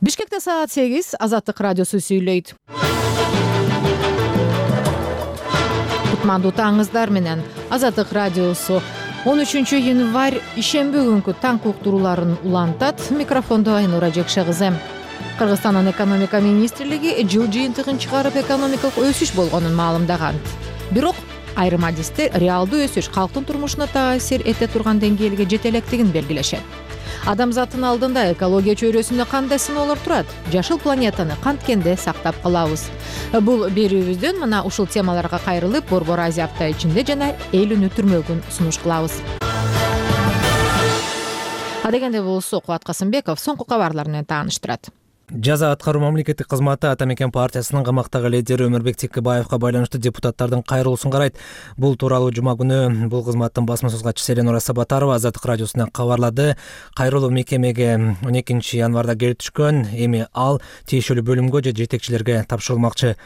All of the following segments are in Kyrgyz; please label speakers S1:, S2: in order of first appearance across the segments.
S1: Бишкекте саат 8, Азаттык радиосу сүйлөйт. Кутмандуу таңыңыздар менен Азаттык радиосу 13 январь ишемби күнкү таң уктурууларын улантат. Микрофондо Айнура Жекшегизе. Кыргызстандын экономика министрлиги жыл жыйынтыгын чыгарып экономикалык өсүш болгонун маалымдаган. Бирок айрым адисте реалдуу өсүш калктын турмушуна таасир эте турган деңгээлге жете электигин белгилешет. Адамзаттын алдында экология чөйрөсүндө кандай сыноолор турат? Жашыл планетаны канткенде сактап калабыз? Бул берүүбүздөн мына ушул темаларга кайрылып, Борбор Азия апта ичинде жана эл өнүктүрмөгүн сунуш кылабыз. Адегенде болсо Кубат Касымбеков соңку кабарлар менен тааныштырат.
S2: Жаза аткаруу мамлекеттик кызматы Ата Мекен партиясынын камактагы лидери Өмүрбек Текебаевга байланыштуу депутаттардын кайрылуусун карайт. Бул тууралуу жума күнү бул кызматтын басма сөз катчысы Эленора Сабатарова Азаттык радиосуна кабарлады. Кайрылуу мекемеге 12 январда келип түшкөн. Эми ал тиешелүү бөлүмгө же жетекчилерге тапшырылмакчы.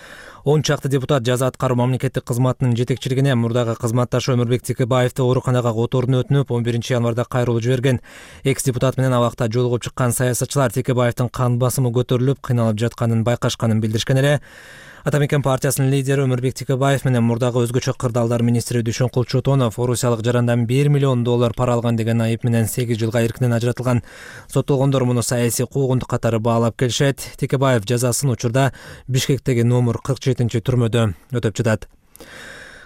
S2: 10 чакты депутат жаза аткаруу мамлекеттик кызматынын жетекчилигине мурдагы кызматташы Өмүрбек Текебаевди ооруканага которууну өтүнүп, 11 январда кайрылуу жиберген. Экс-депутат менен абакта жолугуп чыккан саясатчылар Текебаевдин кан басымы көтөрүлүп, кыйналып жатканын байкашканын билдиришкен эле. Ата Мекен партиясынын лидери Өмүрбек Текебаев менен мурдагы өзгөчө кырдаалдар министри Дүйшөнкул Чотонов орусиялык жарандан $1 миллион пара алган деген айып менен 8 жылга эркинен ажыратылган. Соттолгондор муну саясий куугунтук катары баалап келишет. Текебаев жазасын учурда Бишкектеги номер 47-түрмөдө өтөп жатат.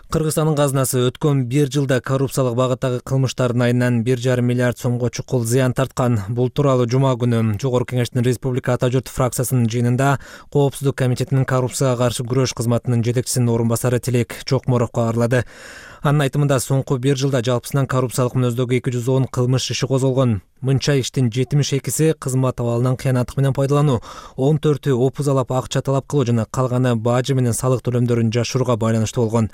S2: Кыргызстандын казынасы өткөн 1 жылда коррупциялык багыттагы кылмыштардын айынан 1,5 миллиард сомго чукул зыян тарткан. Бул тууралуу жума күнү Жогорку Кеңештин Республика Ата журт фракциясынын жыйынында Коопсуздук комитетинин коррупцияга каршы күрөш кызматынын жетекчисинин орун басары Тилек Чокморов кабарлады. Анын айтымында соңку 1 жылда жалпысынан коррупциялык мүнөздөгү 210 кылмыш иши козголгон. Мынча иштин 72-си кызмат абалынан кыянаттык менен пайдалануу, 14-ü опузалап акча талап кылуу жана калганы бажы менен салык төлөмдөрүн жашырууга байланыштуу болгон.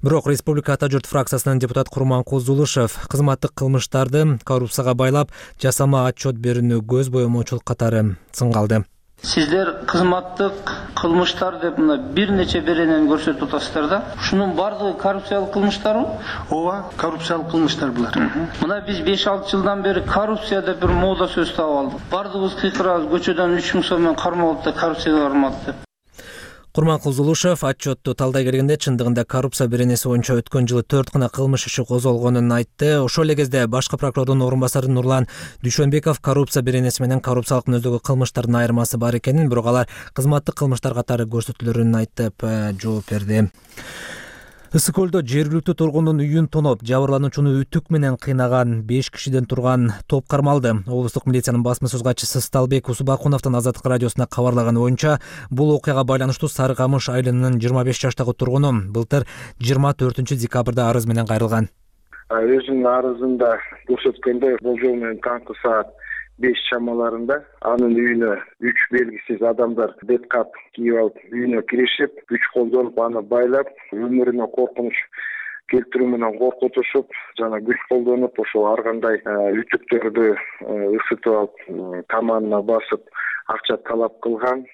S2: Бирок Республика Ата журт фракциясынын депутат Курманкул Зулушев кызматтык кылмыштарды коррупцияга байлап, жасама отчет берүүнү көз боемоочулук катары сынга алды.
S3: Сиздер кызматтык кылмыштар деп мына бир нече беренени көрсөтүп атасыздар да. Ушунун бардыгы коррупциялык кылмыштарбы?
S4: Ооба, коррупциялык кылмыштар булар.
S3: Мына биз 5-6 жылдан бери коррупция деп бир мода сөз таап алдык. Бардыгыбыз кыйкырабыз, көчөдөн 3000 сом менен кармалып да коррупцияга бармады деп.
S2: Курманкул Зулушев отчетту талдай келгенде чындыгында коррупция беренеси боюнча өткөн жылы 4 гана кылмыш иши козголгонун айтты. Ошол эле кезде башкы прокурордун орун басары Нурлан Дүйшөнбеков коррупция беренеси менен коррупциялык мүнөздөгү кылмыштардын айырмасы бар экенин, бирок алар кызматтык кылмыштар катары көрсөтүлөрүн айтып жооп берди. Ысык көлдө жергиликтүү тургундун үйүн тоноп, жабырлануучуну үтүк менен кыйнаган 5 кишиден турган топ кармалды. Облустук милициянын басма сөз катчысы Сталбек Усубакуновдун Азаттык радиосуна кабарлаганы боюнча, бул окуяга байланыштуу Сары Камыш айылынын 25 жаштагы тургуну былтыр 24 декабрда арыз менен кайрылган.
S5: Өзүнүн арызында көрсөткөндөй, болжол менен таңкы саат 5 чамаларында анын үйүнө 3 белгисиз адамдар беткап кийип алып үйүнө киришип, күч колдонуп аны байлап, өмүрүнө коркунуч келтирүү менен коркутушуп, жана күч колдонуп ошол ар кандай үтүктөрдү ысытып алып, таманына басып, акча талап кылган.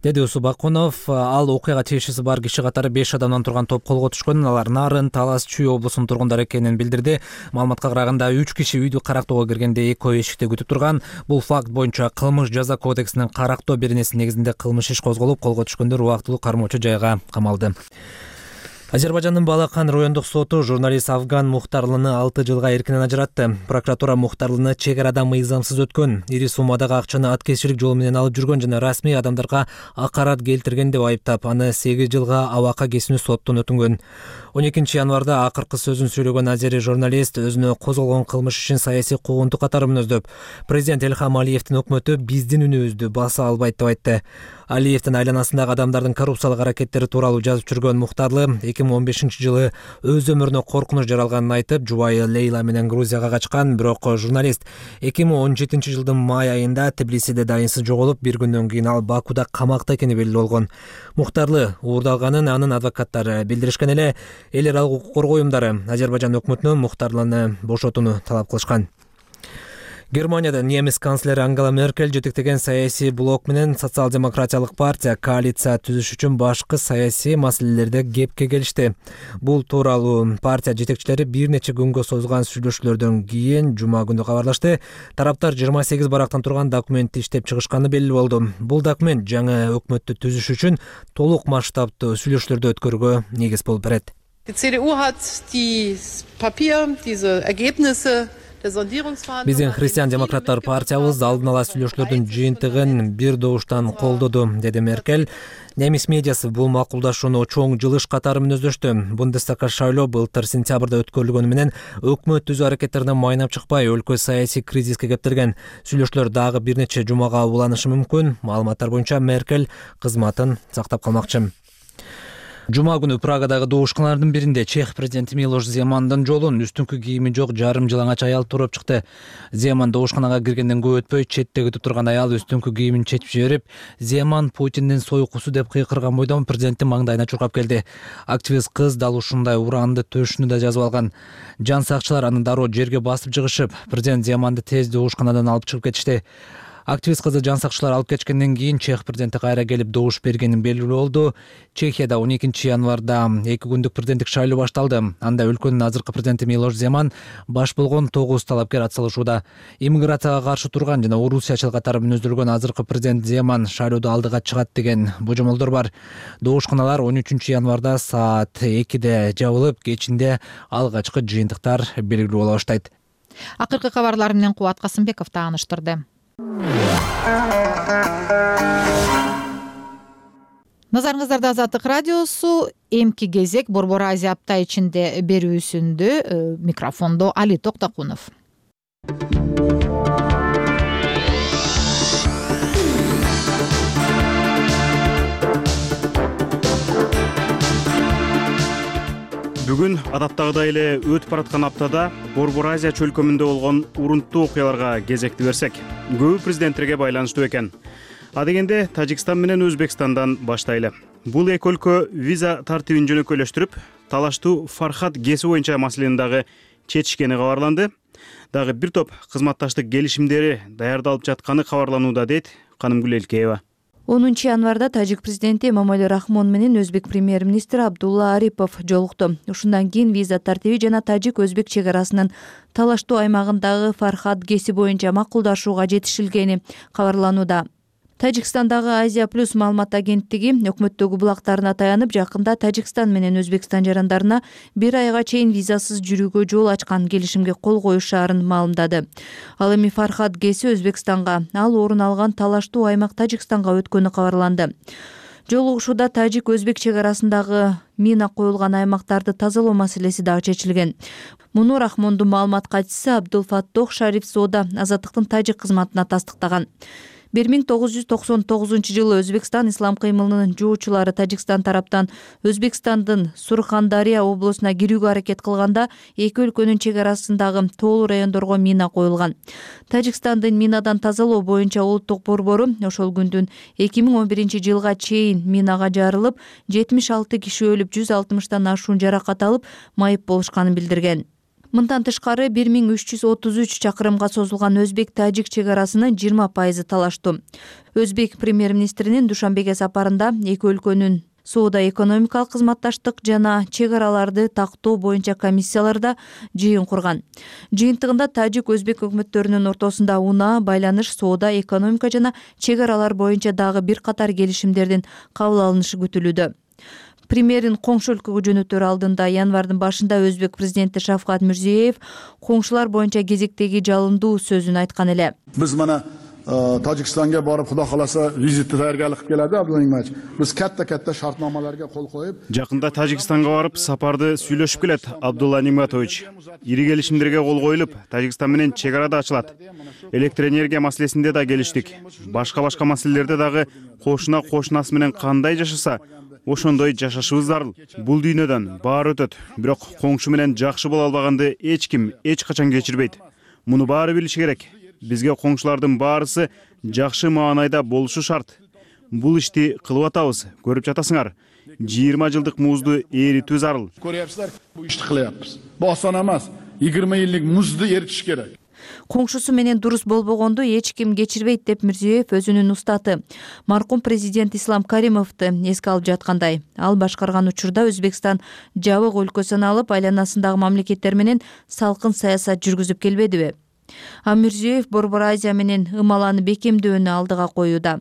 S2: Деди Усубакунов. Ал окуяга тиешеси бар киши катары 5 адамдан турган топ колго түшкөн. Алар Нарын, Талас, Чүй облусунун тургундары экенин билдирди. Маалыматка караганда 3 киши үйдү карактоого киргенде экөө эшикте күтүп турган. Бул факт боюнча кылмыш жаза кодексинин карактоо беренеси негизинде кылмыш иш козголуп, колго түшкөндөр убактылуу кармоочу жайга камалды. Азербайжандын Балакан райондук соту журналист Афган Мухтарлыны 6 жылга эркинен ажыратты. Прокуратура Мухтарлыны чек арада мыйзамсыз өткөн, ири суммадагы акчаны аткезчилик жолу менен алып жүргөн жана расмий адамдарга акарат келтирген деп айыптап, аны 8 жылга абакка кесүүнү соттон өтүнгөн. 12 январда акыркы сөзүн сүйлөгөн азери журналист өзүнө козголгон кылмыш ишин саясий куугунтук катары мүнөздөп, президент Элхам Алиевдин өкмөтү биздин үнүбүздү баса албайт деп айтты. Алиевдин айланасындагы адамдардын коррупциялык аракеттери тууралуу жазып жүргөн Мухтарлы 2015 жылы өз өмүрүнө коркунуч жаралганын айтып, жубайы Лейла менен Грузияга качкан. Бирок журналист 2017 жылдын май айында Тбилисиде дайынсыз жоголуп, бир күндөн кийин ал Бакуда камакта экени белгилүү болгон. Мухтарлы уурдалганын анын адвокаттары билдиришкен эле. Эл аралык укук коргоо уюмдары Азербайжан өкмөтүнөн Мухтарлыны бошотууну талап кылышкан. Германияда немис канцлери Ангела Меркель жетектеген саясий блок менен социал-демократиялык партия коалиция түзүш үчүн башкы саясий маселелерде кепке келишти. Бул тууралуу партия жетекчилери бир нече күнгө созулган сүйлөшүүлөрдөн кийин жума күнү кабарлашты. Тараптар 28 барактан турган документти иштеп чыгышканы белгилүү болду. Бул документ жаңы өкмөттү түзүш үчүн толук масштабтуу сүйлөшүүлөрдү өткөрүүгө негиз болуп берет.
S6: Die CDU hat dieses Papier, diese Ergebnisse
S2: Биздин христиан-демократтар партиябыз алдын ала сүйлөшүүлөрдүн жыйынтыгын бир добуштан колдоду, деди Меркель. Немис медиасы бул макулдашууну чоң жылыш катары мүнөздөштү. Бундестагга шайлоо былтыр сентябрда өткөрүлгөнү менен өкмөт түзүү аракеттерине майнап чыкпай, өлкө саясий кризиске кептелген. Сүйлөшүүлөр дагы бир нече жумага уланышы мүмкүн. Маалыматтар боюнча Меркель кызматын сактап калмакчы. Жума күнү Прагадагы добушканалардын биринде чех президенти Милош Земандын жолун үстүңкү кийими жок жарым жылаңач аял туруп чыкты. Земан добушканага киргенден көп өтпөй четте күтүп турган аял үстүңкү кийимин чечип жиберип, Земан Путиндин сойкусу деп кыйкырган бойдон президенттин маңдайына чуркап келди. Активист кыз дал ушундай ураанды төшүнү да жазып алган. Жан сакчылар аны дароо жерге басып жыгышып, президент Земанды тез добушканадан алып чыгып кетишти. Активист кызды жан сакчылар алып кеткенден кийин чех президенти кайра келип добуш бергенин белгилүү болду. Чехияда 12 январда 2 күндүк президенттик шайлоо башталды. Анда өлкөнүн азыркы президенти Милош Земан баш болгон 9 талапкер атсалышууда. Иммиграцияга каршы турган жана орусиячыл катары мүнөздөлгөн азыркы президент Земан шайлоодо алдыга чыгат деген божомолдор бар. Добушканалар 13 январда саат 2де жабылып, кечинде алгачкы жыйынтыктар белгилүү боло баштайт.
S1: Акыркы кабарлар менен Кубат Касымбеков тааныштырды. Назарыңыздарда Азаттык радиосу, эмки кезек Борбор Азия апта ичинде берүүсүндө микрофондо Али Токтокунов.
S7: Бүгүн адаттагыдай эле өтүп бараткан аптада Борбор Азия чөлкөмүндө болгон урунттуу окуяларга кезекти берсек, көбү президенттерге байланыштуу экен. А дегенде Тажикстан менен Өзбекстандан баштайлы. Бул эки өлкө виза тартибин жөнөкөйлөштүрүп, талаштуу Фархат ГЭСи боюнча маселени дагы чечишкени кабарланды. Дагы бир топ кызматташтык келишимдери даярдалып жатканы кабарланууда, дейт Канымгүл Элкеева.
S8: 10 январда тажик президенти Эмомали Рахмон менен өзбек премьер-министри Абдулла Арипов жолукту. Ушундан кийин виза тартиби жана тажик-өзбек чек арасынын талаштуу аймагындагы Фархат ГЭСи боюнча макулдашууга жетишилгени кабарланууда. Тажикстандагы Азия плюс маалымат агенттиги өкмөттөгү булактарына таянып, жакында Тажикстан менен Өзбекстан жарандарына 1 айга чейин визасыз жүрүүгө жол ачкан келишимге кол коюшаарын маалымдады. Ал эми Фархат ГЭСи Өзбекстанга, ал орун алган талаштуу аймак Тажикстанга өткөнү кабарланды. Жолугушууда тажик-өзбек чек арасындагы мина коюлган аймактарды тазалоо маселеси дагы чечилген. Муну Рахмондун маалымат катчысы Абдулфаттох Шариф Соода Азаттыктын тажик кызматына тастыктаган. 1999 Өзбекстан ислам кыймылынын жоочулары Тажикстан тараптан Өзбекстандын Сурхандария облусуна кирүүгө аракет кылганда эки өлкөнүн чек арасындагы тоолуу райондорго мина коюлган. Тажикстандын минадан тазалоо боюнча улуттук борбору ошол күндүн 2011-жылга чейин минага жарылып, 76 киши өлүп, 160тан ашуун жаракат алып, майып болушканын билдирген. Мындан тышкары 1333 чакырымга созулган өзбек-тажик чек арасынын 20% талаштуу. Өзбек премьер-министринин Душанбеге сапарында эки өлкөнүн соода-экономикалык кызматташтык жана чек араларды тактоо боюнча комиссияларда жыйын курган. Жыйынтыгында тажик-өзбек өкмөттөрүнүн ортосунда унаа, байланыш, соода, экономика жана чек аралар боюнча дагы бир катар келишимдердин кабыл алынышы күтүлүүдө. Премьерин коңшу өлкөгө жөнөтөр алдында январдын башында Өзбек президенти Шавкат Мирзиеев коңшулар боюнча кезектеги жалындуу сөзүн айткан эле.
S9: Биз мана Тажикстанга барып, Кудай кааласа, визитти даярдык кылып келеди Абдулла Нимач. Биз катта шартнамаларга кол коюп,
S7: жакында Тажикстанга барып, сапарды сүйлөшүп келет Абдулла Ниматович. Ири келишимдерге кол коюлуп, Тажикстан менен чек ара да ачылат. Электр энергия маселесинде да келиштик. Башка маселелерде дагы кошунасы менен кандай жашаса, ошондой жашашыбыз зарыл. Бул дүйнөдөн баары өтөт, бирок коңшу менен жакшы боло албаганды эч ким эч качан кечирбейт. Муну баары билиши керек. Бизге коңшулардын баарысы жакшы маанайда болушу шарт. Бул ишти кылып атабыз, көрүп жатасыңар. 20 жылдык музду эритүү зарыл.
S9: Көрөсүздөр, бул ишти кылабыз. Бу осон эмес. 20 жылдык музду эритиш керек.
S8: Коңшусу менен дурус болбогонду эч ким кечирбейт деп Мирзиёев өзүнүн устаты маркум президент Ислам Каримовду эске алып жаткандай. Ал башкарган учурда Өзбекстан жабык өлкө саналып, айланасындагы мамлекеттер менен салкын саясат жүргүзүп келбедиби? А Мирзиёев Борбор Азия менен ымаланы бекемдөөнү алдыга коюуда.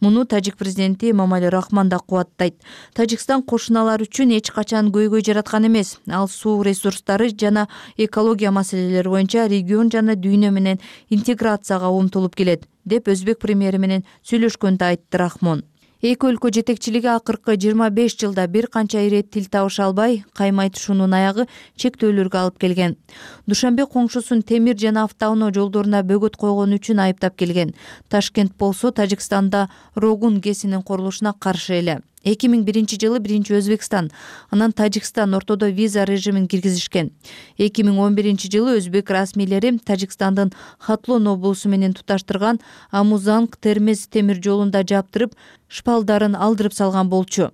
S8: Муну тажик президенти Эмомали Рахмон да кубаттайт. Тажикстан кошуналар үчүн эч качан көйгөй жараткан эмес. Ал суу ресурстары жана экология маселелери боюнча регион жана дүйнө менен интеграцияга умтулуп келет, деп өзбек премьери менен сүйлөшкөндө айтты Рахмон. Эки өлкө жетекчилиги акыркы 25 жылда бир канча ирет тил табыша албай, каймайтышуунун аягы чектөөлөргө алып келген. Душанбе коңшусун темир жана автоунаа жолдоруна бөгөт койгон үчүн айыптап келген. Ташкент болсо Тажикстанда Рогун ГЭСинин курулушуна каршы эле. 2001-жылы биринчи Өзбекстан, анан Тажикстан ортодо виза режимин киргизишкен. 2011-жылы өзбек расмийлери Тажикстандын Хатлон облусу менен туташтырган Амузанг-Термез темир жолунда жаптырып, шпалдарын алдырып салган болчу.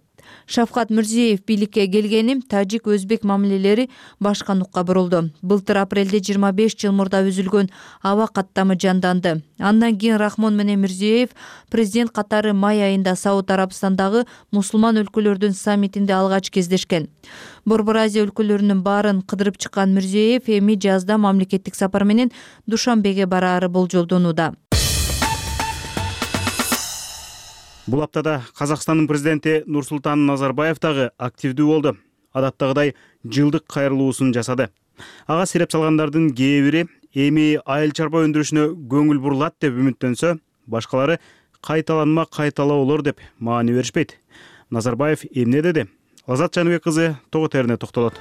S8: Шавкат Мирзиёев бийликке келгени тажик-өзбек мамилелери башка нукка бурулду. Былтыр апрелде 25 жыл мурда үзүлгөн аба каттамы жанданды. Андан кийин Рахмон менен Мирзиёев президент катары май айында Сауд Арабстандагы мусулман өлкөлөрдүн саммитинде алгач кездешкен. Борбор Азия өлкөлөрүнүн баарын кыдырып чыккан Мирзиёев эми жазда мамлекеттик сапар менен Душанбеге бараары болжолдонууда.
S7: Бул аптада Казакстандын президенти Нурсултан Назарбаев дагы активдүү болду. Адаттагыдай жылдык кайрылуусун жасады. Ага сереп салгандардын кээ бири эми айыл чарба өндүрүшүнө көңүл бурулат деп үмүттөнсө, башкалары кайталанма кайталоолор деп маани беришпейт. Назарбаев эмне деди? Азат Жаныбек кызы тогу терине токтолот.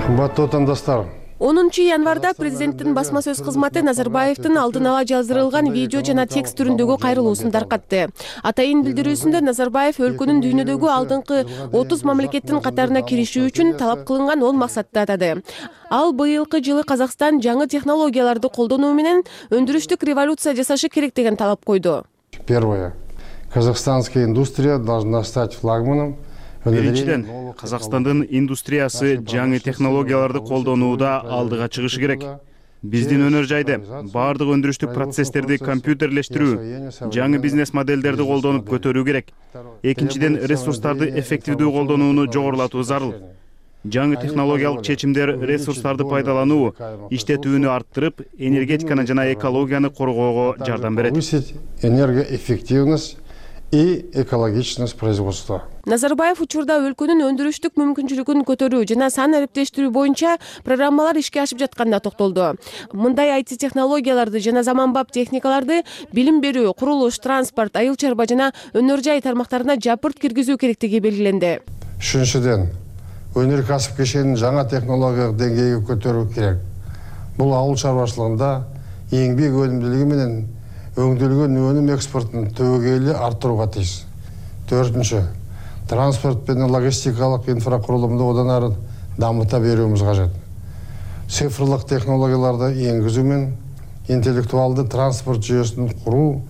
S10: Кымбаттуу отандоштор,
S11: 10 январда президенттин басма сөз кызматы Назарбаевдин алдын ала жаздырылган видео жана текст түрүндөгү кайрылуусун таркатты. Атайын билдирүүсүндө Назарбаев өлкөнүн дүйнөдөгү алдыңкы 30 мамлекеттин катарына кириши үчүн талап кылынган 10 максатты атады. Ал быйылкы жылы Казакстан жаңы технологияларды колдонуу менен өндүрүштүк революция жасашы керек деген талап койду.
S10: Первое. Казахстанская индустрия должна стать флагманом.
S7: Биринчиден, Казакстандын индустриясы жаңы технологияларды колдонууда алдыга чыгышы керек. Биздин өнөр жайды, баардык өндүрүштүк процесстерди компьютерлештирүү, жаңы бизнес модельдерди колдонуп көтөрүү керек. Экинчиден, ресурстарды эффективдүү колдонууну жогорулатуу зарыл. Жаңы технологиялык чечимдер ресурстарды пайдалануу, иштетүүнү арттырып, энергетиканы жана экологияны коргоого жардам берет.
S10: Повысить энергоэффективность и экологичность производства.
S11: Назарбаев учурда өлкөнүн өндүрүштүк мүмкүнчүлүгүн көтөрүү жана сан ариптештирүү боюнча программалар ишке ашып жатканына токтолду. Мындай IT технологияларды жана заманбап техникаларды билим берүү, курулуш, транспорт, айыл чарба жана өнөр жай тармактарына жапырт киргизүү керектиги белгиленди.
S10: Үчүнчүдөн, өнөркәсип кешенин жаңа технологиялык деңгейге көтөрүү керек. Бул ауыл чарбачылыгында еңбек өнүмдүүлүгү менен өңдөлгөн өнүм экспортун түбөгейлүү арттырууга тийиш. Төртүнчү, транспорт пен логистикалык инфракурулумду одан ары дамыта берүүбүз кажет. Цифрлык технологияларды энгизүү менен интеллектуалдуу транспорт жүйөсүн куруу,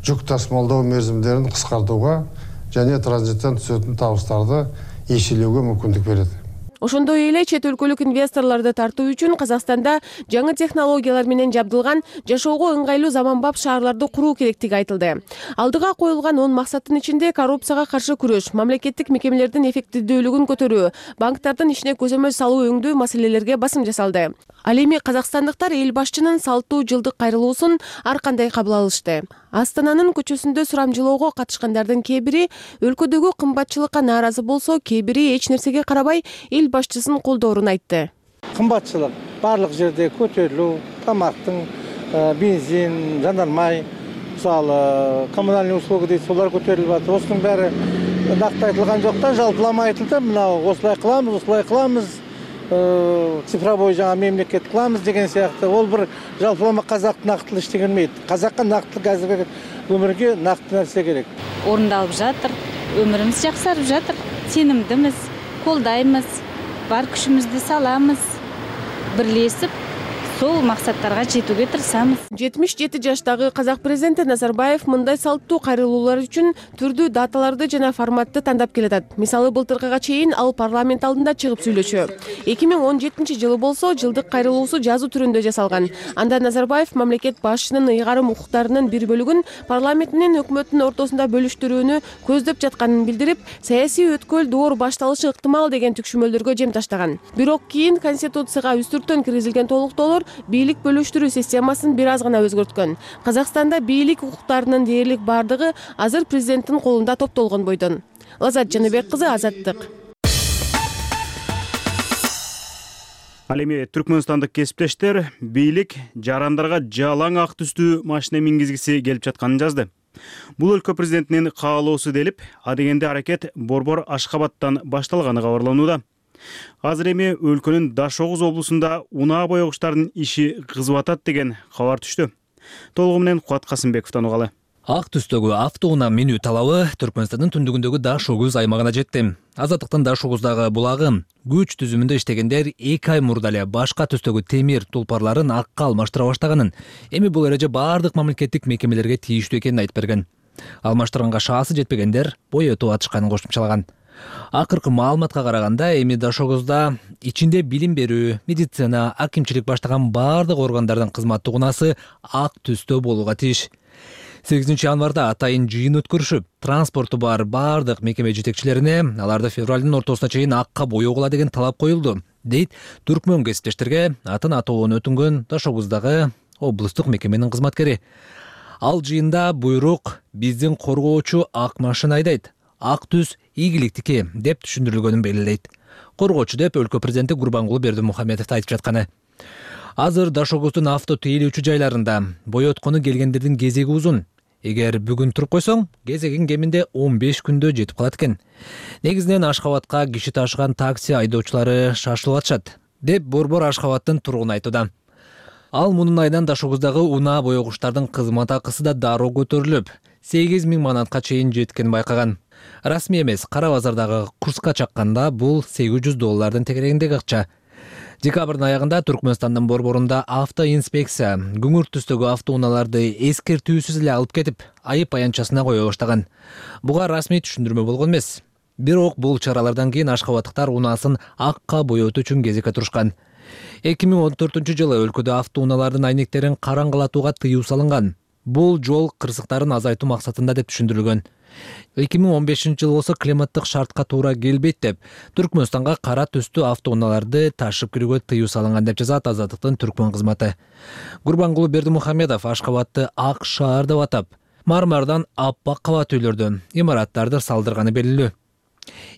S10: жүк тасымалдоо мерзимдерин кыскартууга жана транзиттен түсөтүн табыстарды эселөөгө мүмкүндүк берет.
S11: Ошондой эле чет өлкөлүк инвесторлорду тартуу үчүн Казакстанда жаңы технологиялар менен жабдылган жашоого ыңгайлуу заманбап шаарларды куруу керектиги айтылды. Алдыга коюлган 10 максаттын ичинде коррупцияга каршы күрөш, мамлекеттик мекемелердин эффективдүүлүгүн көтөрүү, банктардын ишине көзөмөл салуу өңдүү маселелерге басым жасалды. Ал эми казакстандыктар эл башчынын салттуу жылдык кайрылуусун ар кандай кабыл алышты. Астананын көчөсүндө сурамжылоого катышкандардын кээ бири өлкөдөгү кымбатчылыкка нааразы болсо, кээ бири эч нерсеге карабай эл башчысын колдоорун айтты.
S12: Кымбатчылык барлык жерде көтөрүлүү, тамактын, бензин, жанармай, мисалы коммунальный услуга дейт, солар көтөрүлүп атат. Осунун баары накты айтылган жок да, жалпылама айтылды. Мына осулай кылабыз, цифровой жаңа мемлекет кылабыз деген сыяктуу. Ол бир жалпылама казак нактылы иштегенмейт. Казакка нактылык азыркы өмүргө накты нерсе керек.
S13: Орундалып жатыр, өмүрүбүз жаксарып жатыр. Сенимдимиз, колдойбуз, бар күчүбүздү салабыз. Бирлешип, ушул максаттарга жетүүгө тырышабыз.
S11: 77 жаштагы казак президенти Назарбаев мындай салттуу кайрылуулар үчүн түрдүү даталарды жана форматты тандап келатат. Мисалы, былтыркыга чейин ал парламент алдында чыгып сүйлөшчү. 2017-жылы болсо жылдык кайрылуусу жазуу түрүндө жасалган. Анда Назарбаев мамлекет башчынын ыйгарым укуктарынын бир бөлүгүн парламент менен өкмөттүн ортосунда бөлүштүрүүнү көздөп жатканын билдирип, саясий өткөл доор башталышы ыктымал деген түкшүмөлдөргө жем таштаган. Бирок кийин Конституцияга үстүртөн киргизилген толуктоолор бийлик бөлүштүрүү системасын бир аз гана өзгөрткөн. Казакстанда бийлик укуктарынын дээрлик бардыгы азыр президенттин колунда топтолгон бойдон. Лазат Жаныбек кызы, Азаттык.
S7: Ал эми түркмөнстандык кесиптештер бийлик жарандарга жалаң ак түстүү машина мингизгиси келип жатканын жазды. Бул өлкө президентинин каалоосу делип, адегенде аракет Борбор Ашкабадтан башталганы кабарланууда. Азыр эми өлкөнүн Дашогуз облусунда унаа боёгучтардын иши кызып атат деген кабар түштү. Толугу менен Кубат Касымбековдон угалы.
S2: Ак түстөгү автоунаа минүү талабы Түркмөнстандын түндүгүндөгү Дашогуз аймагына жетти. Азаттыктын Дашогуздагы булагы күч түзүмүндө иштегендер 2 ай мурда эле башка түстөгү темир тулпарларын акка алмаштыра баштаганын, эми бул эреже бардык мамлекеттик мекемелерге тийиштүү экенин айтып берген. Алмаштырганга шаасы жетпегендер боётуп атышканын кошумчалаган. Акыркы маалыматка караганда, эми Дашогузда ичинде билим берүү, медицина, акимчилик баштаган бардык органдардын кызматтык унаасы ак түстө болууга тийиш. 8 январда атайын жыйын өткөрүшүп, транспорту бар бардык мекеме жетекчилерине аларды февралдын ортосуна чейин акка боёгула деген талап коюлду, дейт түркмөн кесиптештерге атын атоонун өтүнгөн Дашогуздагы облустук мекеменин кызматкери. Ал жыйында буйрук биздин коргоочу ак машина айдайт, ак түс ийгиликтики деп түшүндүрүлгөнүн белгилейт. Коргоочу деп өлкө президенти Гурбангулы Бердимухамедов айтып жатканы. Азыр Дашогуздун авто тейлөөчү жайларында боёткону келгендердин кезеги узун. Эгер бүгүн туруп койсоң, кезегиң кеминде 15 күндө жетип калат экен. Негизинен Ашкабадка киши ташыган такси айдоочулары шашылып атышат, деп Борбор Ашкабадтын тургуну айтууда. Ал мунун айынан Дашогуздагы унаа боёгучтардын кызмат акысы да дароо көтөрүлүп, 8000 манатка чейин жеткенин байкаган. Расмий эмес, кара базардагы курска чакканда бул $800 тегерегиндеги акча. Декабрдын аягында Түркмөнстандын борборунда автоинспекция күңүрт түстөгү автоунааларды эскертүүсүз эле алып кетип, айып аянтчасына кое баштаган. Буга расмий түшүндүрмө болгон эмес. Бирок бул чаралардан кийин ашкабаттыктар унаасын акка боётуу үчүн кезекке турушкан. 2014-жылы өлкөдө автоунаалардын айнектерин караңгылатууга тыюу салынган. Бул жол кырсыктарын азайтуу максатында деп түшүндүрүлгөн. 2015-жылы болсо климаттык шартка туура келбейт деп Түркмөнстанга кара түстүү автоунааларды ташып кирүүгө тыюу салынган деп жазат Азаттыктын түркмөн кызматы. Гурбангулы Бердимухамедов Ашкабадты ак шаар деп атап, мармардан аппак кабат үйлөрдү, имараттарды салдырганы белгилүү.